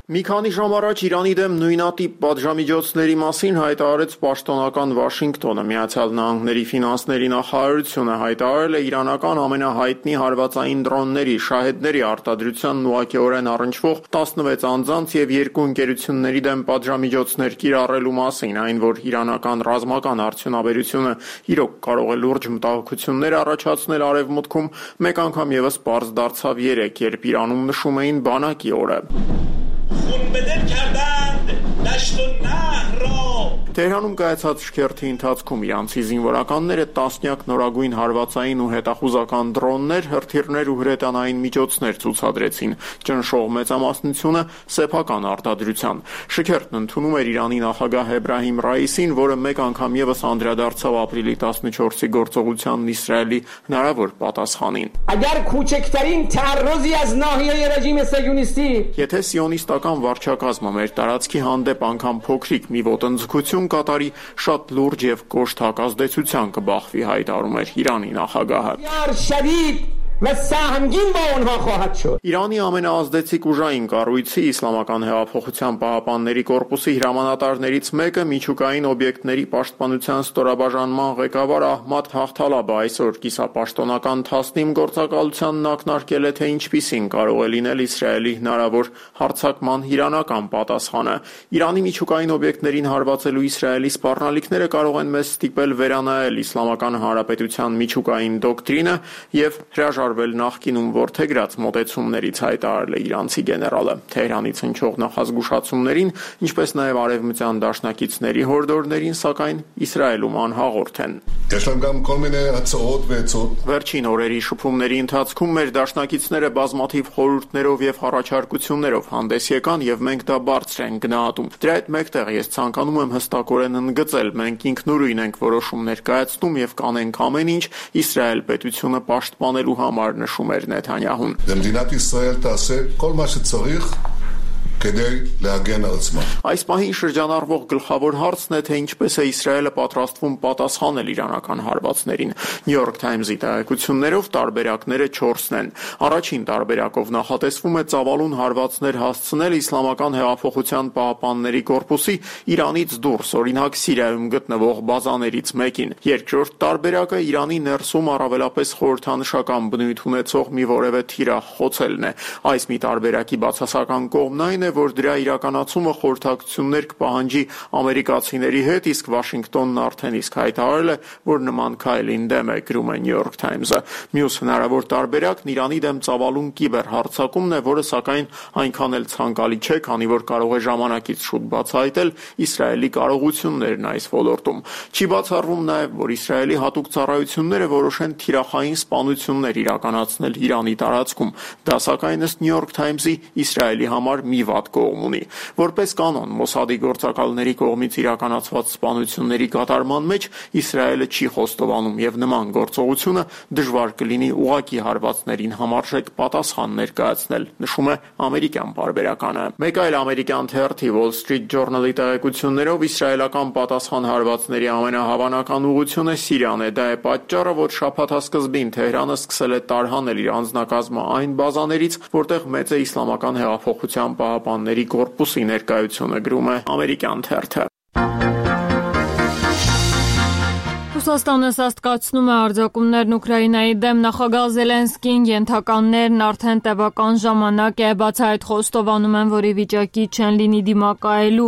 Մի քանի ժամ առաջ Իրանի դեմ նույնատիպ պատժամիջոցների մասին հայտարարեց պաշտոնական Վաշինգտոնը։ Միացյալ Նահանգների ֆինանսների նախարարությունը հայտարարել է իրանական ամենահայտնի հարվածային դրոնների շահեդների արտադրությանն ուղղակիորեն առնչվող տասնվեց անձանց եւ երկու ընկերությունների դեմ պատժամիջոցներ կիրառելու մասին, այն որ իրանական ռազմական արդյունաբերությունը իրոք կարող է լուրջ մտահոգություններ առաջացնել արևմուտքում, մեկ անգամ եւս պարզ դարձավ երեկ, երբ Իրանում նշում էին բանակի օրը։ Թեհրանում կայացած շքերթի ընթացքում իրանցի զինվորականները տասնյակ նորագույն հարվածային ու հետախուզական դրոններ, հրթիռներ ու հրետանային միջոցներ ցուցադրեցին, ճնշող մեծամասնությունը սեփական արտադրության։ Շքերթն ընդունում էր Իրանի նախագահ Էբրահիմ Ռայիսին, որը մեկ անգամ եւս անդրադարձավ ապրիլի տասնչորսի գործողությանն Իսրայելի հնարավոր պատասխանին։ Եթե սիոնիստական վարչակազմը մեր տարածքի հանդեպ անգամ փոքրիկ մի ոտնձգություն կատարի, շատ լուրջ եւ կոշտ հակազդեցության կբախվի, հայտարարում էր Իրանի նախագահը։ Իրանի ամենաազդեցիկ ուժային կառույցի Իսլամական հեղափոխության պահապանների կորպուսի հրամանատարներից մեկը միջուկային օբյեկտների պաշտպանության ստորաբաժանման ղեկավար Ահմադ Հաղթալաբը այսօր կիսապաշտոնական Թասնիմ գործակալությանն ակնարկել է, թե ինչպիսին կարող է լինել Իսրայելի հնարավոր հարձակման իրանական պատասխանը։ Իրանի միջուկային օբյեկտներին հարվածելու Իսրայելի սպառնալիքները կարող են մեզ ստիպել վերանայել Իսլամական Հանրապետության միջուկային դոկտրինը եւ հրաժարվել նախկինում որդեգրած մոտեցումներից, հայտարարել է իրանցի գեներալը։ Թեհրանից հնչող նախազգուշացումներին, ինչպես նաև արևմտյան դաշնակիցների հորդորներին, սակայն Իսրայելում անհաղորդ են։ Վերջին օրերի շփումների ընթացքում մեր դաշնակիցները բազմաթիվ խորհուրդներով եւ առաջարկություններով հանդես եկան եւ մենք դա բարձր ենք գնահատում։ Դրա հետ մեկտեղ ես ցանկանում եմ հստակորեն ընդգծել, մենք ինքնուրույն ենք որոշումներ կայացնում եւ կանենք ամեն ինչ Իսրայել պետությունը պաշտպանելու համար, նշում էր Նեթանյահուն։ Այս պահին շրջանառվող գլխավոր հարցն է, թե ինչպես է Իսրայելը պատրաստվում պատասխանել իրանական հարվածներին։ New York Times-ի տեղեկություններով տարբերակները չորսն են։ Առաջին տարբերակով նախատեսվում է ծավալուն հարվածներ հասցնել Իսլամական հեղափոխության պահապանների կորպուսի Իրանից դուրս, օրինակ Սիրիայում գտնվող բազաներից մեկին։ Երկրորդ տարբերակը Իրանի ներսում առավելապես խորհրդանշական բնույթ ունեցող մի որևէ թիրախ խոցելն է։ Այս մի տարբերակի բացասական կողմն այն է, է, որ դրա իրականացումը խորհրդակցություններ կպահանջի ամերիկացիների հետ, իսկ Վաշինգտոնն արդեն իսկ հայտարարել է, որ նման քայլին դեմ է, գրում է New York Times-ը։ Մյուս հնարավոր տարբերակն Իրանի դեմ ծավալուն կիբերհարձակումն է, որը սակայն այնքան էլ ցանկալի չէ, քանի որ կարող է ժամանակից շուտ բացահայտել Իսրայելի կարողություններն այս ոլորտում։ Չի բացառվում նաև, որ Իսրայելի հատուկ ծառայությունները որոշեն թիրախային սպանություններ իրականացնել Իրանի տարածքում։ Դա սակայն ըստ New York Times-ի Իսրայելի համար մի վատ կողմ ունի։ Որպես կանոն, Մոսադի գործակալների կողմից իրականացված սպանությունների կատարման մեջ Իսրայելը չի խոստովանում եւ նման գործողությունը դժվար կլինի ուղղակի հարվածներին համարժեք պատասխան ներկայացնել, նշում է ամերիկյան պարբերականը։ Մեկ այլ ամերիկյան թերթի Wall Street Journal-ի տեղեկություններով իսրայելական պատասխան հարվածների ամենահավանական ուղղությունը Սիրիան է։ Դա է պատճառը, որ շաբաթասկզբին Թեհրանը սկսել է տարհանել իր անձնակազմը այն բազաներից, որտեղ մեծ է Իսլամական հեղափոխության պահապանների կորպուսի ներկայությունը, գրում է ամերիկյան թերթը։ Ռուսաստանը սաստկացնում է արձակումներն Ուկրաինայի դեմ, նախագահ Զելենսկին ենթականներն արդեն տևական ժամանակ է, բացի այդ խոստովանում են, որ ի վիճակի չեն լինի դիմակայելու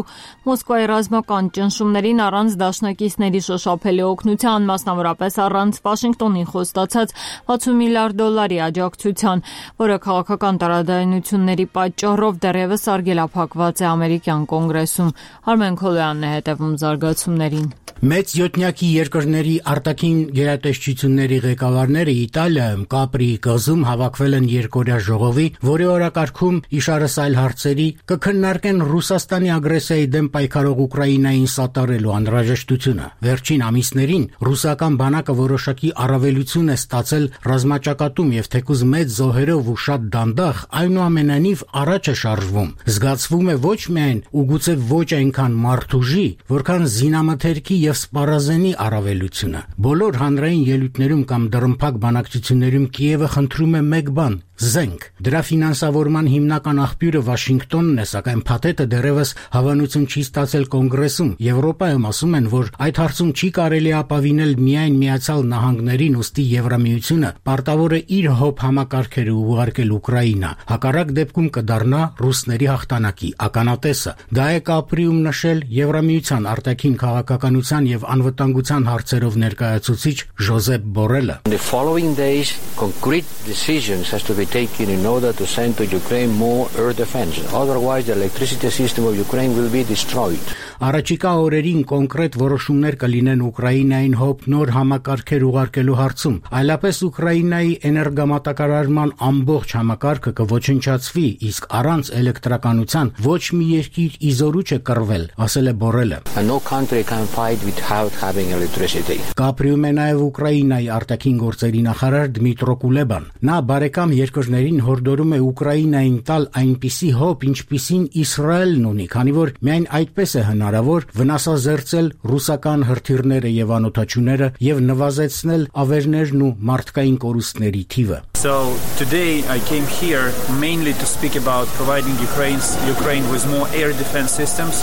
Մոսկվայի ռազմական ճնշումներին առանց դաշնակիցների շոշափելի օգնության, մասնավորապես առանց Վաշինգտոնին խոստացած վաթսուն միլիարդ դոլարի աջակցության, որը քաղաքական տարաձայնությունների պատճառով դեռևս արգելափակված է ամերիկյան կոնգրեսում։ Արմեն Քոլոյանն է հետևում զարգացումներին։ Մեծ յոթնյակի երկրների արտաքին գերատեսչությունների ղեկավարները Իտալիայում Կապրի կղզում հավաքվել են երկօրյա ժողովի, որի օրակարգում իշարս այլ հարցերի կքննարկեն Ռուսաստանի ագրեսիայի դեմ պայքարող Ուկրաինային սատարելու անհրաժեշտությունը։ Վերջին ամիսներին ռուսական բանակը որոշակի առավելություն է ստացել ռազմաճակատում եւ թեկուզ մեծ զոհերով ու շատ դանդաղ, այնուամենայնիվ առաջ է շարժվում։ Զգացվում է ոչ միայն ու գուցե ոչ այնքան մարդուժի, որքան զինամթերքի եւ սպառազենի առավելությունը։ Բոլոր հանրային ելույթներում կամ դռնփակ բանակցություններում Կիևը խնդրում է մեկ բան՝ զենք։ Դրա ֆինանսավորման հիմնական աղբյուրը Վաշինգտոնն է, սակայն փաթեթը դեռևս հավանություն չի ստացել կոնգրեսում։ Եվրոպայում ասում են, որ այդ հարցում չի կարելի ապավինել միայն Միացյալ Նահանգներին, ուստի Եվրամիությունը պարտավոր է իր հոբ համակարգերը ուղարկել Ուկրաինա։ Հակառակ դեպքում կդառնա ռուսների հաղթանակի ականատեսը։ Դա է Կապրիում նշել Եվրամիության արտաքին քաղաքականության եւ անվտանգության հարցերով ներկայացուցիչ Ժոզեփ Բորելը։ The following days concrete decisions has to be taken in order to send to Ukraine more air defense. Otherwise the electricity system of Ukraine will be destroyed. Առաջիկա օրերին կոնկրետ որոշումներ կլինեն Ուկրաինային հոբ նոր համակարգեր ուղարկելու հարցում։ Այլապես Ուկրաինայի էներգամատակարարման ամբողջ համակարգը կոչնչացվի, իսկ առանց էլեկտրականության ոչ մի երկիր իզորու չէ կռվել, ասել է Բորելը։ No country can fight without having electricity. Կապրիում է նաև Ուկրաինայի արտաքին գործերի նախարար Դմիտրո Կուլեբան։ Նա բարեկամ երկրներին հորդորում է Ուկրաինային տալ այնպիսի հոբ, ինչպիսին Իսրայելն ունի, քանի որ միայն այդպես է հնարավոր վնասազերծել ռուսական հրթիռները եւ անօթաչուները եւ նվազեցնել ավերներն ու մարդկային կորուստների թիվը։ So today I came here mainly to speak about providing Ukraine's Ukraine with more air defense systems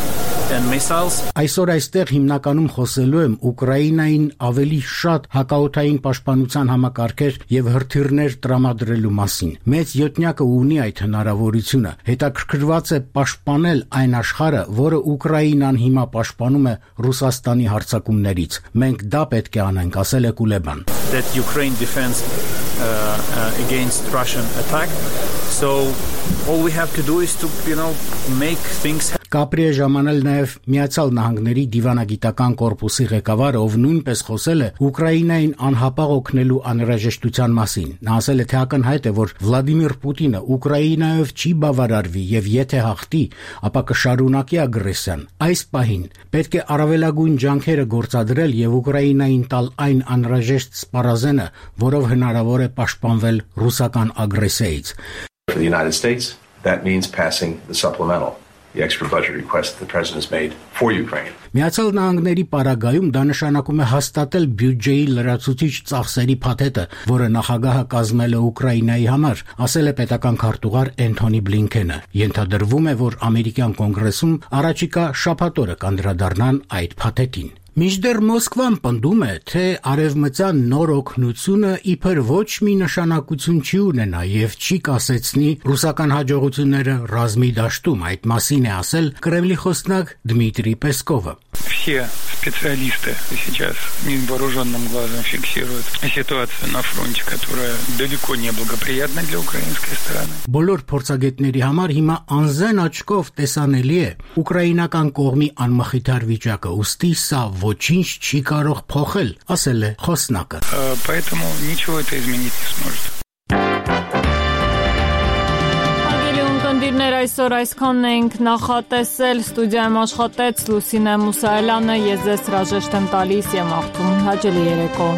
and missiles. Այսօր այստեղ հիմնականում խոսելու եմ Ուկրաինային ավելի շատ հակաօդային պաշտպանության համակարգեր եւ հրթիռներ տրամադրելու մասին։ Մեծ յոթնյակը ունի այդ հնարավորությունը։ Հետաքրքրված է պաշտպանել այն աշխարհը, որը Ուկրաինան հիմա պաշտպանում է Ռուսաստանի հարձակումներից։ Մենք դա պետք է անենք, ասել է Կուլեբան։ That Ukraine defends uh, uh, against Russian attack. So all we have to do is to, you know, make things Կապրի է ժամանել նաև Միացյալ Նահանգների դիվանագիտական կորպուսի ղեկավարը, ով նույնպես խոսել է Ուկրաինային անհապաղ օգնելու անհրաժեշտության մասին։ Նա ասել է, թե ակնհայտ է, որ Վլադիմիր Պուտինը Ուկրաինայով չի բավարարվի եւ եթե հաղթի, ապա կշարունակի ագրեսիան։ Այս պահին պետք է առավելագույն ջանքերը գործադրել եւ Ուկրաինային տալ այն անհրաժեշտ սպառազենը, որով հնարավոր է պաշտպանվել ռուսական ագրեսիայից։ For the United States, that means passing the supplemental. The extra budget request that the president has made for Ukraine. Միացյալ Նահանգների պարագայում դա նշանակում է հաստատել բյուջեի լրացուցիչ ծախսերի փաթեթը, որը նախագահը կազմել է Ուկրաինայի համար, ասել է պետական քարտուղար Էնթոնի Բլինքենը։ Ենթադրվում է, որ ամերիկյան կոնգրեսում առաջիկա շաբաթ օրը կանդրադառնան այդ փաթեթին։ Մինչդեռ Մոսկվան պնդում է, թե արևմտյան նոր օգնությունը իբր ոչ մի նշանակություն չի ունենա եւ չի կասեցնի ռուսական հաջողությունները ռազմի դաշտում, այդ մասին է ասել Կրեմլի խոսնակ Դմիտրի Պեսկովը. Все специалисты сейчас невооруженным глазом фиксируют ситуацию на фронте, которая далеко не благоприятна для украинской стороны. Բոլոր փորձագետների համար հիմա անզեն աչքով տեսանելի է ուկրաինական կողմի անմխիթար վիճակը, ուստի սա ոչինչ չի կարող փոխել, ասել է խոսնակը. Поэтому ничего это изменить не сможет. Կնդիրներ այսօր այսքանն ենք նախատեսել, ստուդիայում աշխատեց Լուսինե Մուսայելյանը, ես ձեզ հրաժեշտ եմ տալիս եւ մաղթում հաճելի երեկո։